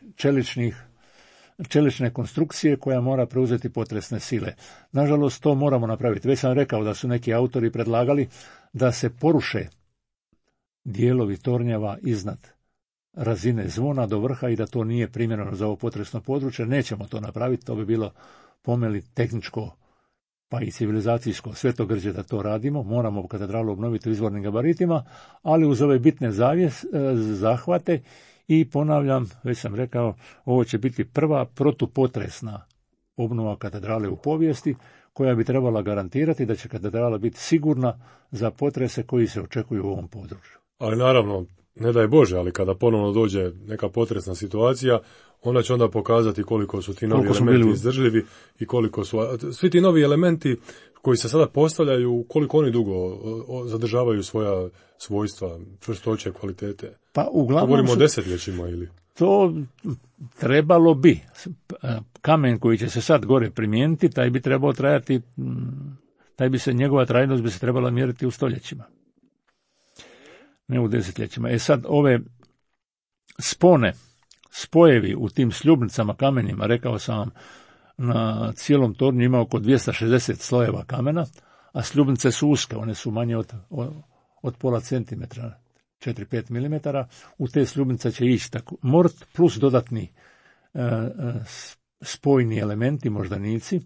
čelične konstrukcije koja mora preuzeti potresne sile. Nažalost, to moramo napraviti. Već sam rekao da su neki autori predlagali da se poruše dijelovi tornjeva iznad razine zvona do vrha i da to nije primjereno za ovo potresno područje. Nećemo to napraviti, to bi bilo pomeli tehničko pa i civilizacijsko svetogrđe da to radimo. Moramo katedralu obnoviti u izvornim gabaritima, ali uz ove bitne zahvate. I ponavljam, već sam rekao, ovo će biti prva protupotresna obnova katedrale u povijesti, koja bi trebala garantirati da će katedrala biti sigurna za potrese koji se očekuju u ovom području. Ali naravno, ne daj Bože, ali kada ponovno dođe neka potresna situacija, ona će onda pokazati koliko su ti novi elementi izdržljivi i koliko su svi ti novi elementi koji se sada postavljaju, koliko oni dugo zadržavaju svoja svojstva, čvrstoće, kvalitete. Pa uglavnom govorimo o desetljećima ili? To trebalo bi. Kamen koji će se sad gore primijeniti, taj bi trebao trajati, njegova trajnost bi se trebala mjeriti u stoljećima. Ne u desetljećima. Sad ove spojevi u tim sljubnicama kamenima, rekao sam vam, na cijelom tornju ima oko 260 slojeva kamena, a sljubnice su uske, one su manje od pola centimetra, 4-5 mm. U te sljubnice će ići mort plus dodatni spojni elementi, moždanici,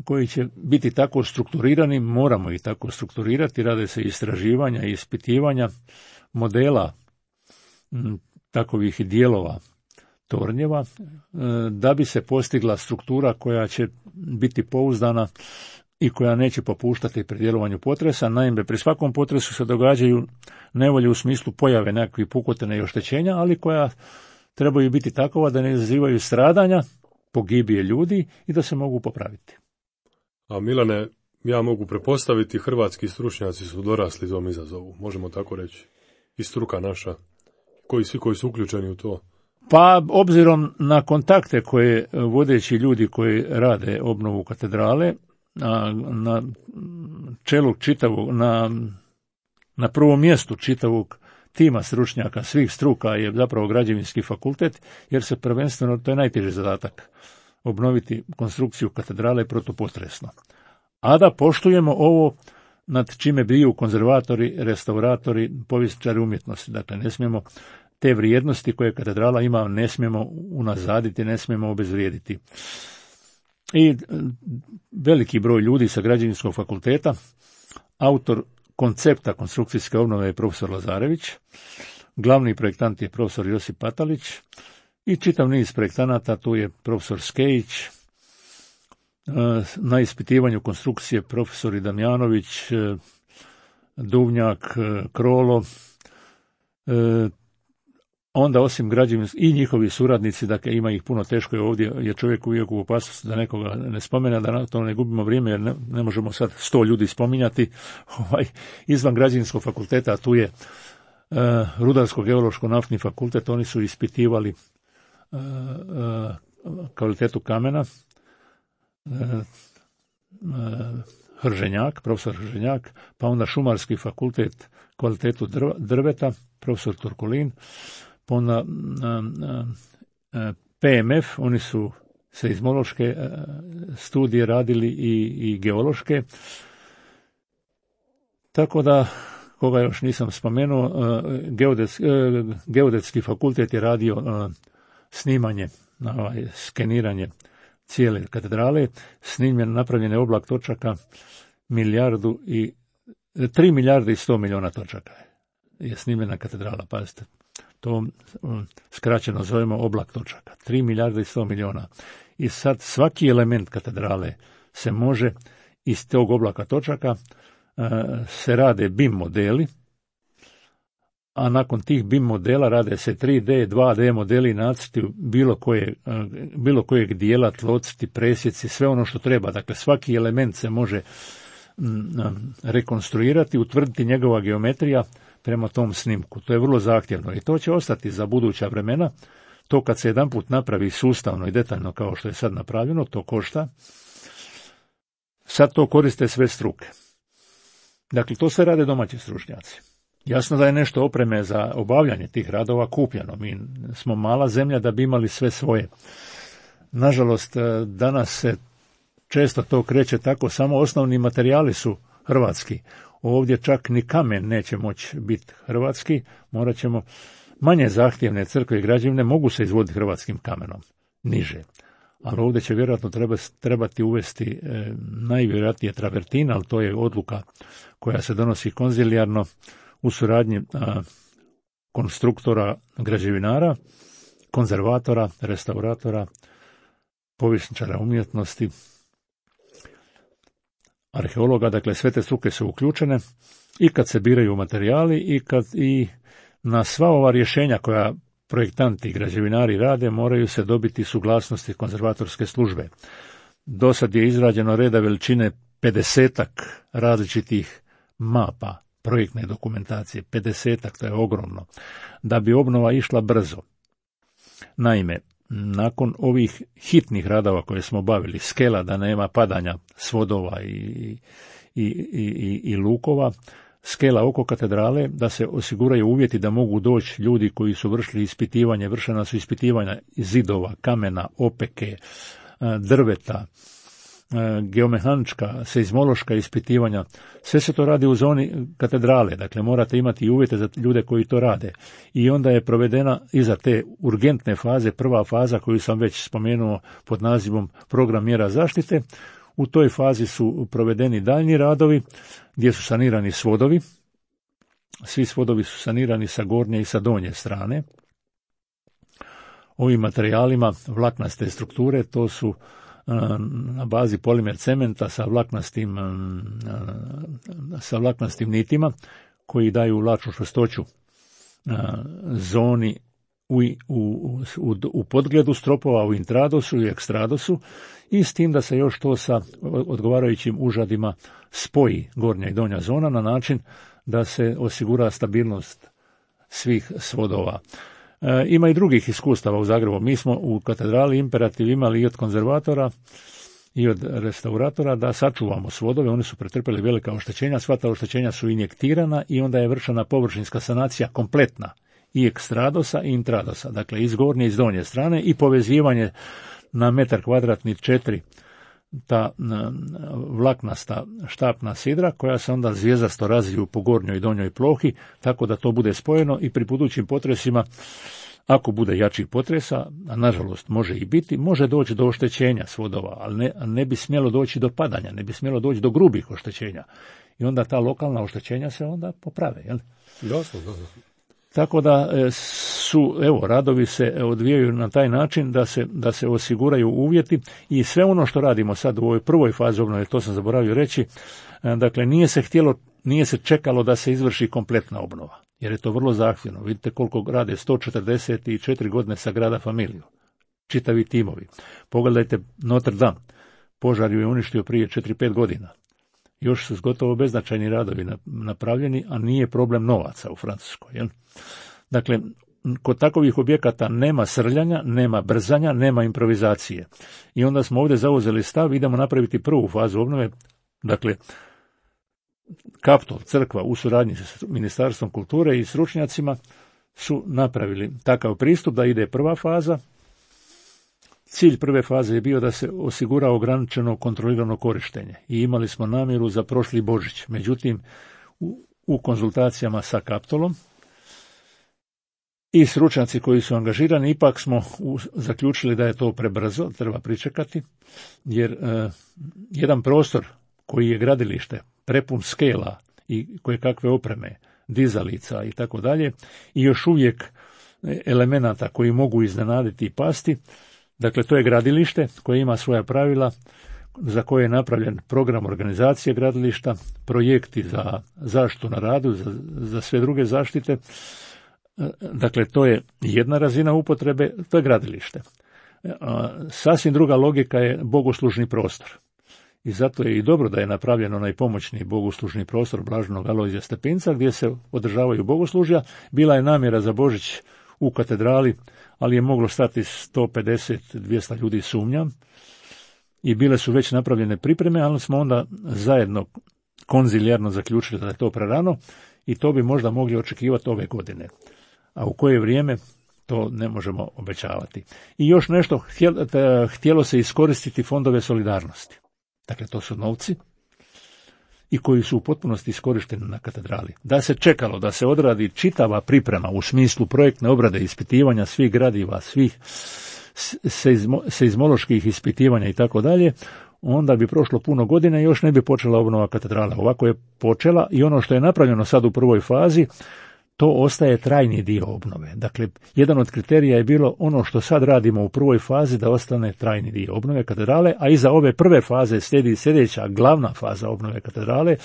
koji će biti tako strukturirani, moramo ih tako strukturirati, rade se istraživanja i ispitivanja modela takovih dijelova tornjeva, da bi se postigla struktura koja će biti pouzdana i koja neće popuštati pri djelovanju potresa. Naime, pri svakom potresu se događaju nevolje u smislu pojave nekakvih pukotine i oštećenja, ali koja trebaju biti takova da ne izazivaju stradanja, pogibije ljudi i da se mogu popraviti. A Milane, ja mogu prepostaviti, hrvatski stručnjaci su dorasli tom izazovu, možemo tako reći, i struka naša, svi koji su uključeni u to. Pa, obzirom na kontakte koje vodeći ljudi koji rade obnovu katedrale, na čelu čitavog, na prvom mjestu čitavog tima stručnjaka svih struka je zapravo građevinski fakultet, jer se prvenstveno, to je najteži zadatak, obnoviti konstrukciju katedrale protupotresno. A da poštujemo ovo nad čime biju konzervatori, restauratori, povjesničari umjetnosti. Dakle, ne smijemo te vrijednosti koje katedrala ima, ne smijemo unazaditi, ne smijemo obezvrijediti. I veliki broj ljudi sa građevinskog fakulteta, autor koncepta konstrukcijske obnove je profesor Lazarević, glavni projektant je profesor Josip Patalić i čitav niz projektanata, tu je profesor Skejić, na ispitivanju konstrukcije profesori Damjanović, Duvnjak, Krolo, onda osim građevinskih i njihovi suradnici, dakle ima ih puno, teško je ovdje, je čovjek uvijek u opasnosti da nekoga ne spomene, da na to ne gubimo vrijeme, jer ne možemo sad 100 ljudi spominjati. Izvan građevinskog fakulteta tu je Rudarsko-geološko-naftni fakultet, oni su ispitivali kvalitetu kamena, Hrženjak, profesor Hrženjak, pa onda Šumarski fakultet kvalitetu drveta, profesor Turkulin, pa onda PMF, oni su seizmološke studije radili i geološke. Tako da, koga još nisam spomenuo, geodetski fakultet je radio snimanje, skeniranje cijele katedrale, napravljen je oblak točaka 3 milijarde i 100 milijuna točaka je snimljena katedrala, pazite. To skraćeno zovemo oblak točaka. 3 milijarde i 100 milijuna. I sad svaki element katedrale se može iz tog oblaka točaka se rade BIM modeli, a nakon tih BIM modela rade se 3D, 2D modeli, nacrti bilo kojeg dijela, tlocrti, presjeci, sve ono što treba. Dakle, svaki element se može rekonstruirati, utvrditi njegova geometrija prema tom snimku. To je vrlo zahtjevno i to će ostati za buduća vremena. To kad se jedanput napravi sustavno i detaljno kao što je sad napravljeno, to košta. Sad to koriste sve struke. Dakle, to sve rade domaći stručnjaci. Jasno da je nešto opreme za obavljanje tih radova kupljeno. Mi smo mala zemlja da bi imali sve svoje. Nažalost, danas se često to kreće tako, samo osnovni materijali su hrvatski. Ovdje čak ni kamen neće moći biti hrvatski, morat ćemo manje zahtjevne crkve i građevine mogu se izvoditi hrvatskim kamenom, niže. Ali ovdje će vjerojatno trebati uvesti najvjerojatnije travertin, ali to je odluka koja se donosi konzilijarno u suradnji konstruktora, građevinara, konzervatora, restauratora, povjesničara umjetnosti, arheologa, dakle sve te struke su uključene i kad se biraju materijali i na sva ova rješenja koja projektanti i građevinari rade moraju se dobiti suglasnosti konzervatorske službe. Do sad je izrađeno reda veličine 50-ak različitih mapa, projektne dokumentacije, 50-ak, to je ogromno, da bi obnova išla brzo. Naime, nakon ovih hitnih radova koje smo bavili, skela da nema padanja svodova i lukova, skela oko katedrale, da se osiguraju uvjeti da mogu doći ljudi koji su vršili ispitivanje, vršena su ispitivanja zidova, kamena, opeke, drveta, geomehanička, seizmološka ispitivanja, sve se to radi u zoni katedrale, dakle morate imati uvjete za ljude koji to rade. I onda je provedena iza te urgentne faze, prva faza koju sam već spomenuo pod nazivom program mjera zaštite. U toj fazi su provedeni daljnji radovi gdje su sanirani svodovi. Svi svodovi su sanirani sa gornje i sa donje strane. Ovim materijalima vlaknaste strukture, to su na bazi polimer cementa sa vlaknastim nitima koji daju lačnu čvrstoću zoni u podgledu stropova, u intradosu i ekstradosu, i s tim da se još to sa odgovarajućim užadima spoji gornja i donja zona na način da se osigura stabilnost svih svodova. Ima i drugih iskustava u Zagrebu. Mi smo u katedrali imperativ imali i od konzervatora i od restauratora da sačuvamo svodove, oni su pretrpjeli velika oštećenja, sva ta oštećenja su injektirana i onda je vršena površinska sanacija kompletna i ekstradosa i intradosa, dakle iz gornje i iz donje strane, i povezivanje na metar kvadratni 4 ta vlaknasta štapna sidra koja se onda zvjezdasto razviju po gornjoj i donjoj plohi, tako da to bude spojeno i pri budućim potresima, ako bude jačih potresa, a nažalost može i biti, može doći do oštećenja svodova, ali ne bi smjelo doći do padanja, ne bi smjelo doći do grubih oštećenja. I onda ta lokalna oštećenja se onda poprave. Jel? Jasno. Tako da radovi se odvijaju na taj način da se osiguraju uvjeti i sve ono što radimo sad u ovoj prvoj fazi obnove, to sam zaboravio reći, dakle nije se čekalo da se izvrši kompletna obnova, jer je to vrlo zahtjevno. Vidite koliko rade, 144 godine sa grada familiju, čitavi timovi. Pogledajte Notre Dame, požar ju je uništio prije 4-5 godina. Još su gotovo beznačajni radovi napravljeni, a nije problem novaca u Francuskoj. Jel? Dakle, kod takovih objekata nema srljanja, nema brzanja, nema improvizacije. I onda smo ovdje zauzeli stav, idemo napraviti prvu fazu obnove. Dakle, Kaptol, crkva u suradnji s Ministarstvom kulture i stručnjacima su napravili takav pristup da ide prva faza. Cilj prve faze je bio da se osigura ograničeno kontrolirano korištenje i imali smo namjeru za prošli Božić. Međutim, u konzultacijama sa Kaptolom i stručnjaci koji su angažirani, ipak smo zaključili da je to prebrzo, treba pričekati, jer jedan prostor koji je gradilište prepun skela i koje kakve opreme, dizalica i tako dalje, i još uvijek elemenata koji mogu iznenaditi i pasti. Dakle, to je gradilište koje ima svoja pravila, za koje je napravljen program organizacije gradilišta, projekti za zaštitu na radu, za sve druge zaštite. Dakle, to je jedna razina upotrebe, to je gradilište. Sasvim druga logika je bogoslužni prostor. I zato je i dobro da je napravljen onaj pomoćni bogoslužni prostor Blaženog Alojzija Stepinca, gdje se održavaju bogoslužja. Bila je namjera za Božić u katedrali, ali je moglo stati 150-200 ljudi, sumnjam. I bile su već napravljene pripreme, ali smo onda zajedno konzilijarno zaključili da je to prerano i to bi možda mogli očekivati ove godine. A u koje vrijeme, to ne možemo obećavati. I još nešto, htjelo se iskoristiti fondove solidarnosti. Dakle, to su novci i koji su u potpunosti iskorišteni na katedrali. Da se čekalo da se odradi čitava priprema u smislu projektne obrade, ispitivanja svih gradiva, svih seizmoloških ispitivanja i tako dalje, onda bi prošlo puno godina i još ne bi počela obnova katedrale. Ovako je počela i ono što je napravljeno sad u prvoj fazi, to ostaje trajni dio obnove. Dakle, jedan od kriterija je bilo ono što sad radimo u prvoj fazi da ostane trajni dio obnove katedrale, a iza ove prve faze slijedi sljedeća glavna faza obnove katedrale,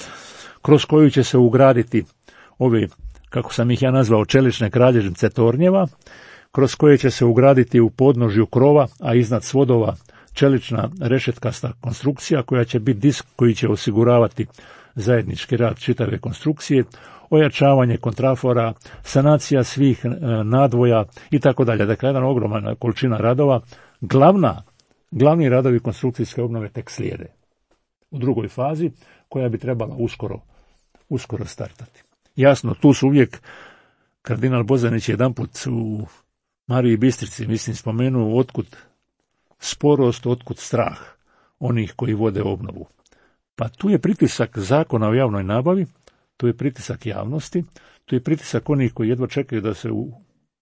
kroz koju će se ugraditi ove, kako sam ih ja nazvao, čelične kralježnice tornjeva, kroz koje će se ugraditi u podnožju krova, a iznad svodova čelična rešetkasta konstrukcija koja će biti disk koji će osiguravati zajednički rad čitave konstrukcije, ojačavanje kontrafora, sanacija svih nadvoja i tako dalje. Dakle, jedna ogromna količina radova. Glavni radovi konstrukcijske obnove tek slijede u drugoj fazi, koja bi trebala uskoro startati. Jasno, tu su uvijek kardinal Bozanić jedanput u Mariji Bistrici, mislim, spomenuo otkud sporost, otkud strah onih koji vode obnovu. Pa tu je pritisak zakona o javnoj nabavi, tu je pritisak javnosti, tu je pritisak onih koji jedva čekaju da se u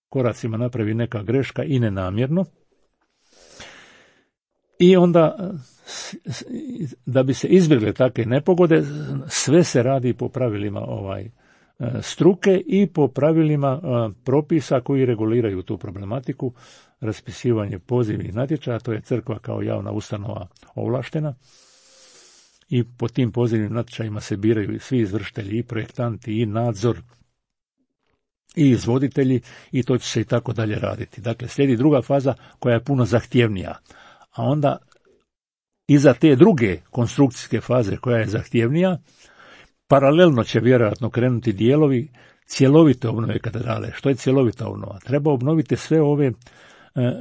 koracima napravi neka greška i nenamjerno. I onda, da bi se izbjegle takve nepogode, sve se radi po pravilima struke i po pravilima propisa koji reguliraju tu problematiku, raspisivanje pozivnih natječaja, to je crkva kao javna ustanova ovlaštena. I po tim pozivnim natječajima se biraju svi izvršitelji, i projektanti, i nadzor, i izvoditelji, i to će se i tako dalje raditi. Dakle, slijedi druga faza koja je puno zahtjevnija, a onda iza te druge konstrukcijske faze koja je zahtjevnija, paralelno će vjerojatno krenuti dijelovi cjelovite obnove katedrale. Što je cjelovita obnova? Treba obnoviti sve ove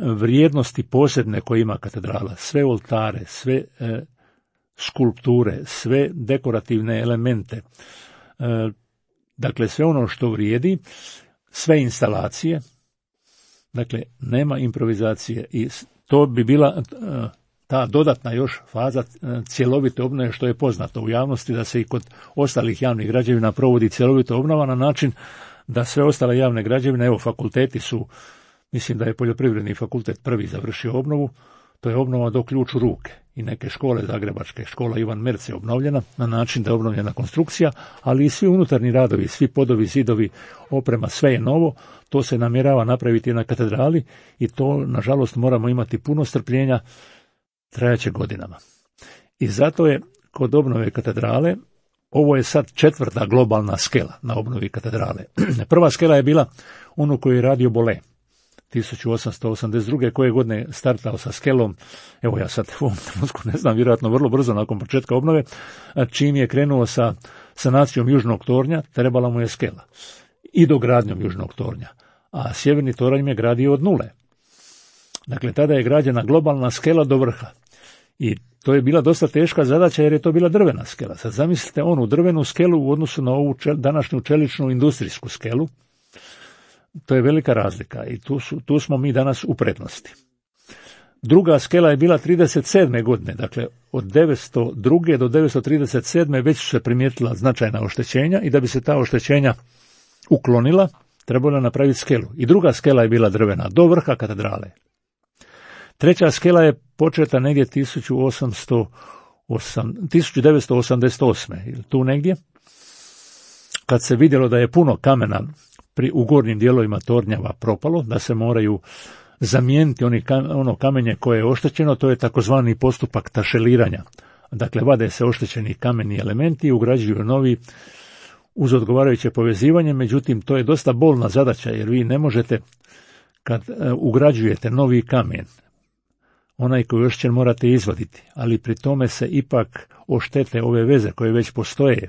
vrijednosti posebne koje ima katedrala, sve oltare, sve skulpture, sve dekorativne elemente, dakle sve ono što vrijedi, sve instalacije, dakle nema improvizacije i to bi bila ta dodatna još faza cjelovite obnove, što je poznato u javnosti da se i kod ostalih javnih građevina provodi cjelovita obnova na način da sve ostale javne građevine, evo fakulteti su, mislim da je Poljoprivredni fakultet prvi završio obnovu, to je obnova do ključ u ruke, i neke škole zagrebačke, škola Ivan Merc je obnovljena na način da je obnovljena konstrukcija, ali i svi unutarnji radovi, svi podovi, zidovi, oprema, sve je novo, to se namjerava napraviti na katedrali i to, nažalost, moramo imati puno strpljenja, trajaće godinama. I zato je kod obnove katedrale, ovo je sad 4. globalna skela na obnovi katedrale. Prva skela je bila onu koju je radio Bole 1882. koje godine startao sa skelom, evo ja sad u ovom trenutku ne znam, vjerojatno vrlo brzo nakon početka obnove, čim je krenuo sa sanacijom južnog tornja, trebala mu je skela i dogradnjom južnog tornja, a sjeverni toranj je gradio od nule. Dakle, tada je građena globalna skela do vrha i to je bila dosta teška zadaća jer je to bila drvena skela. Sad zamislite onu drvenu skelu u odnosu na ovu današnju čeličnu industrijsku skelu. To je velika razlika i tu smo mi danas u prednosti. Druga skela je bila 37. godine, dakle od 902. do 937. već su se primijetila značajna oštećenja i da bi se ta oštećenja uklonila, trebalo je napraviti skelu. I druga skela je bila drvena, do vrha katedrale. Treća skela je početa negdje 1988. tu negdje, kad se vidjelo da je puno kamena u gornjim dijelovima tornjeva propalo, da se moraju zamijeniti ono kamenje koje je oštećeno, to je takozvani postupak tašeliranja. Dakle, vade se oštećeni kameni elementi i ugrađuju novi uz odgovarajuće povezivanje, međutim, to je dosta bolna zadaća, jer vi ne možete, kad ugrađujete novi kamen, onaj koji je oštećen morate izvaditi, ali pri tome se ipak oštete ove veze koje već postoje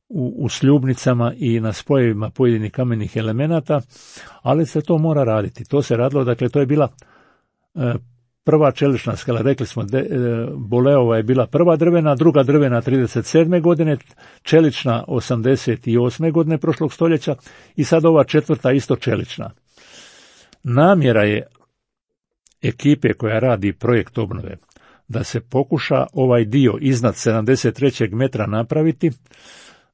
u sljubnicama i na spojevima pojedinih kamenih elemenata, ali se to mora raditi. To se radilo, dakle, to je bila prva čelična skela, rekli smo, Boleova je bila prva drvena, druga drvena 37. godine, čelična 88. godine prošlog stoljeća i sad ova četvrta isto čelična. Namjera je ekipe koja radi projekt obnove da se pokuša ovaj dio iznad 73. metra napraviti,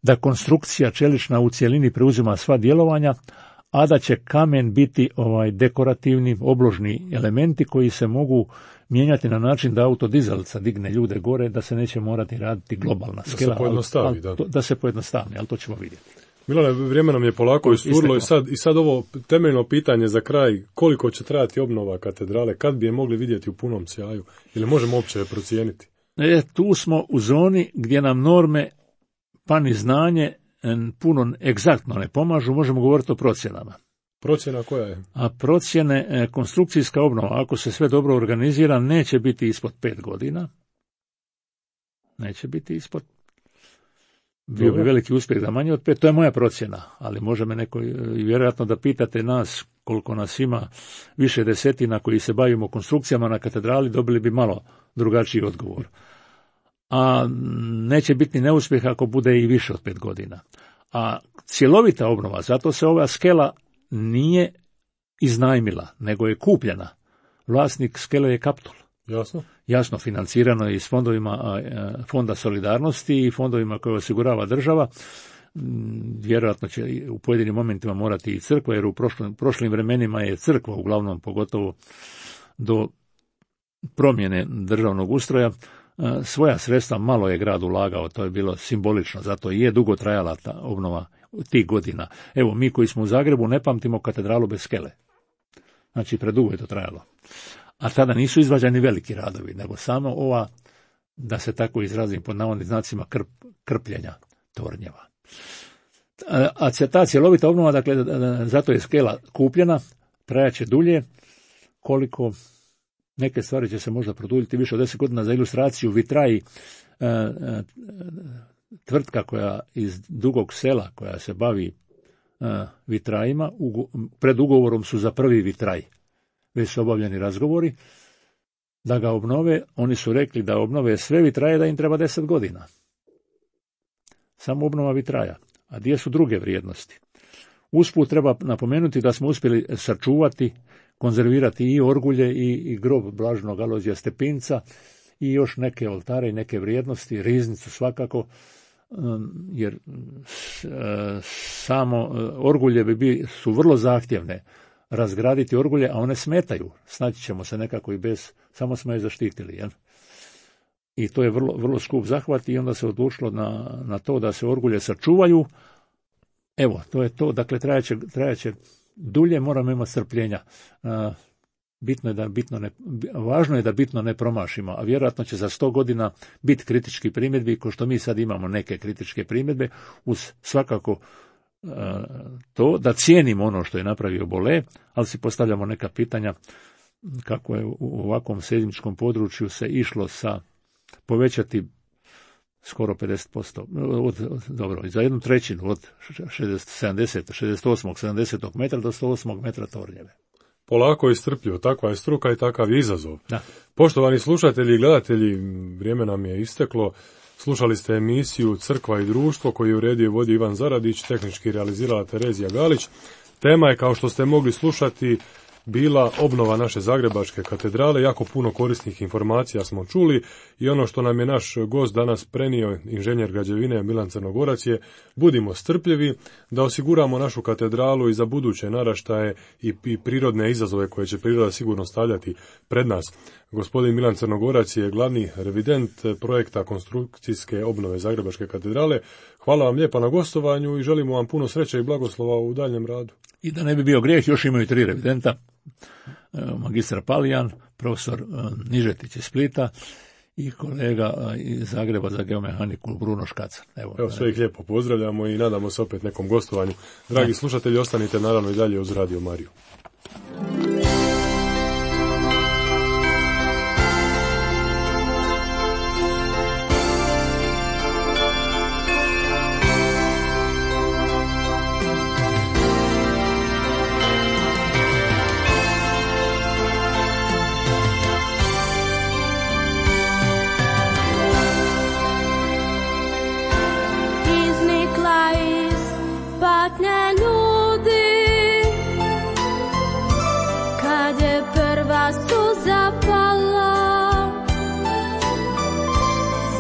da konstrukcija čelična u cjelini preuzima sva djelovanja, a da će kamen biti dekorativni, obložni elementi koji se mogu mijenjati na način da autodizalica digne ljude gore, da se neće morati raditi globalna skela. Da se pojednostavi, da se pojednostavi, ali to ćemo vidjeti. Milane, vrijeme nam je polako isturilo i sad ovo temeljno pitanje za kraj, koliko će trajati obnova katedrale, kad bi je mogli vidjeti u punom sjaju, ili možemo uopće procijeniti? Tu smo u zoni gdje nam norme pa ni znanje puno egzaktno ne pomažu, možemo govoriti o procjenama. Procjena koja je? A procjene, konstrukcijska obnova, ako se sve dobro organizira, neće biti ispod 5 godina. Neće biti ispod. Bio bi veliki uspjeh da manje od 5, to je moja procjena, ali može me neko i vjerojatno da pitate nas koliko nas ima, više desetina koji se bavimo konstrukcijama na katedrali, dobili bi malo drugačiji odgovor. A neće biti neuspjeh ako bude i više od 5 godina. A cjelovita obnova, zato se ova skela nije iznajmila, nego je kupljena. Vlasnik skele je Kaptol. Jasno, financirano je iz fondovima Fonda solidarnosti i fondovima koje osigurava država. Vjerojatno će u pojedinim momentima morati i crkva, jer u prošlim vremenima je crkva, uglavnom pogotovo do promjene državnog ustroja, svoja sredstva malo je grad ulagao, to je bilo simbolično, zato i je dugo trajala ta obnova tih godina. Evo, mi koji smo u Zagrebu ne pamtimo katedralu bez skele. Znači, predugo je to trajalo. A tada nisu izvađani veliki radovi, nego samo ova, da se tako izrazim pod navodnim znacima, krpljenja tornjeva. A ta cjelovita obnova, dakle, zato je skela kupljena, trajaće dulje, koliko neke stvari će se možda produljiti više od 10 godina. Za ilustraciju, Vitraji, tvrtka koja iz Dugog Sela, koja se bavi vitrajima, pred ugovorom su za prvi vitraj. Već su obavljeni razgovori da ga obnove. Oni su rekli da obnove sve vitraje, da im treba 10 godina. Samo obnova vitraja. A gdje su druge vrijednosti? Usput treba napomenuti da smo uspjeli sačuvati, konzervirati i orgulje i grob Blaženog Alojzija Stepinca i još neke oltare i neke vrijednosti, riznicu svakako, jer samo orgulje su vrlo zahtjevne. Razgraditi orgulje, a one smetaju. Snaći ćemo se nekako i bez, samo smo je zaštitili. Jel? I to je vrlo, vrlo skup zahvat i onda se odlučilo na to da se orgulje sačuvaju. Evo, to je to. Dakle, trajaće dulje, moramo imati strpljenja. Važno je da bitno ne promašimo, a vjerojatno će za 100 godina biti kritički primjedbi, kao što mi sad imamo neke kritičke primjedbe, uz svakako to da cijenimo ono što je napravio Bole, ali si postavljamo neka pitanja kako je u ovakvom seizmičkom području se išlo povećati skoro 50%, dobro, za 1/3 od 68. 70. metra do 108. metra tornjeve. Polako i strpljivo, takva je struka i takav je izazov. Da. Poštovani slušatelji i gledatelji, vrijeme nam je isteklo. Slušali ste emisiju Crkva i društvo koju je uredio i vodio Ivan Zaradić, tehnički realizirala Terezija Galić. Tema je, kao što ste mogli slušati, bila obnova naše Zagrebačke katedrale. Jako puno korisnih informacija smo čuli i ono što nam je naš gost danas prenio, inženjer građevine Milan Crnogorac, je budimo strpljivi da osiguramo našu katedralu i za buduće naraštaje i prirodne izazove koje će priroda sigurno stavljati pred nas. Gospodin Milan Crnogorac je glavni revident projekta konstrukcijske obnove Zagrebačke katedrale. Hvala vam lijepa na gostovanju i želimo vam puno sreće i blagoslova u daljem radu. I da ne bi bio grijeh, još imaju 3 revidenta, magistar Palijan, profesor Nižetić iz Splita i kolega iz Zagreba za geomehaniku Bruno Škacar. Evo sve ih lijepo pozdravljamo i nadamo se opet nekom gostovanju. Dragi slušatelji, ostanite naravno i dalje uz Radio Mariju.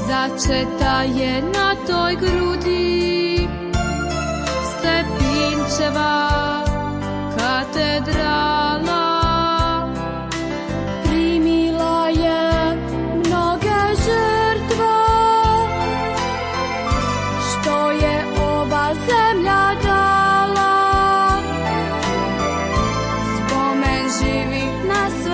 Začeta je na toj grudi Stepinčeva katedrala. Primila je mnoge žrtve, što je ova zemlja dala. Spomen živih na sve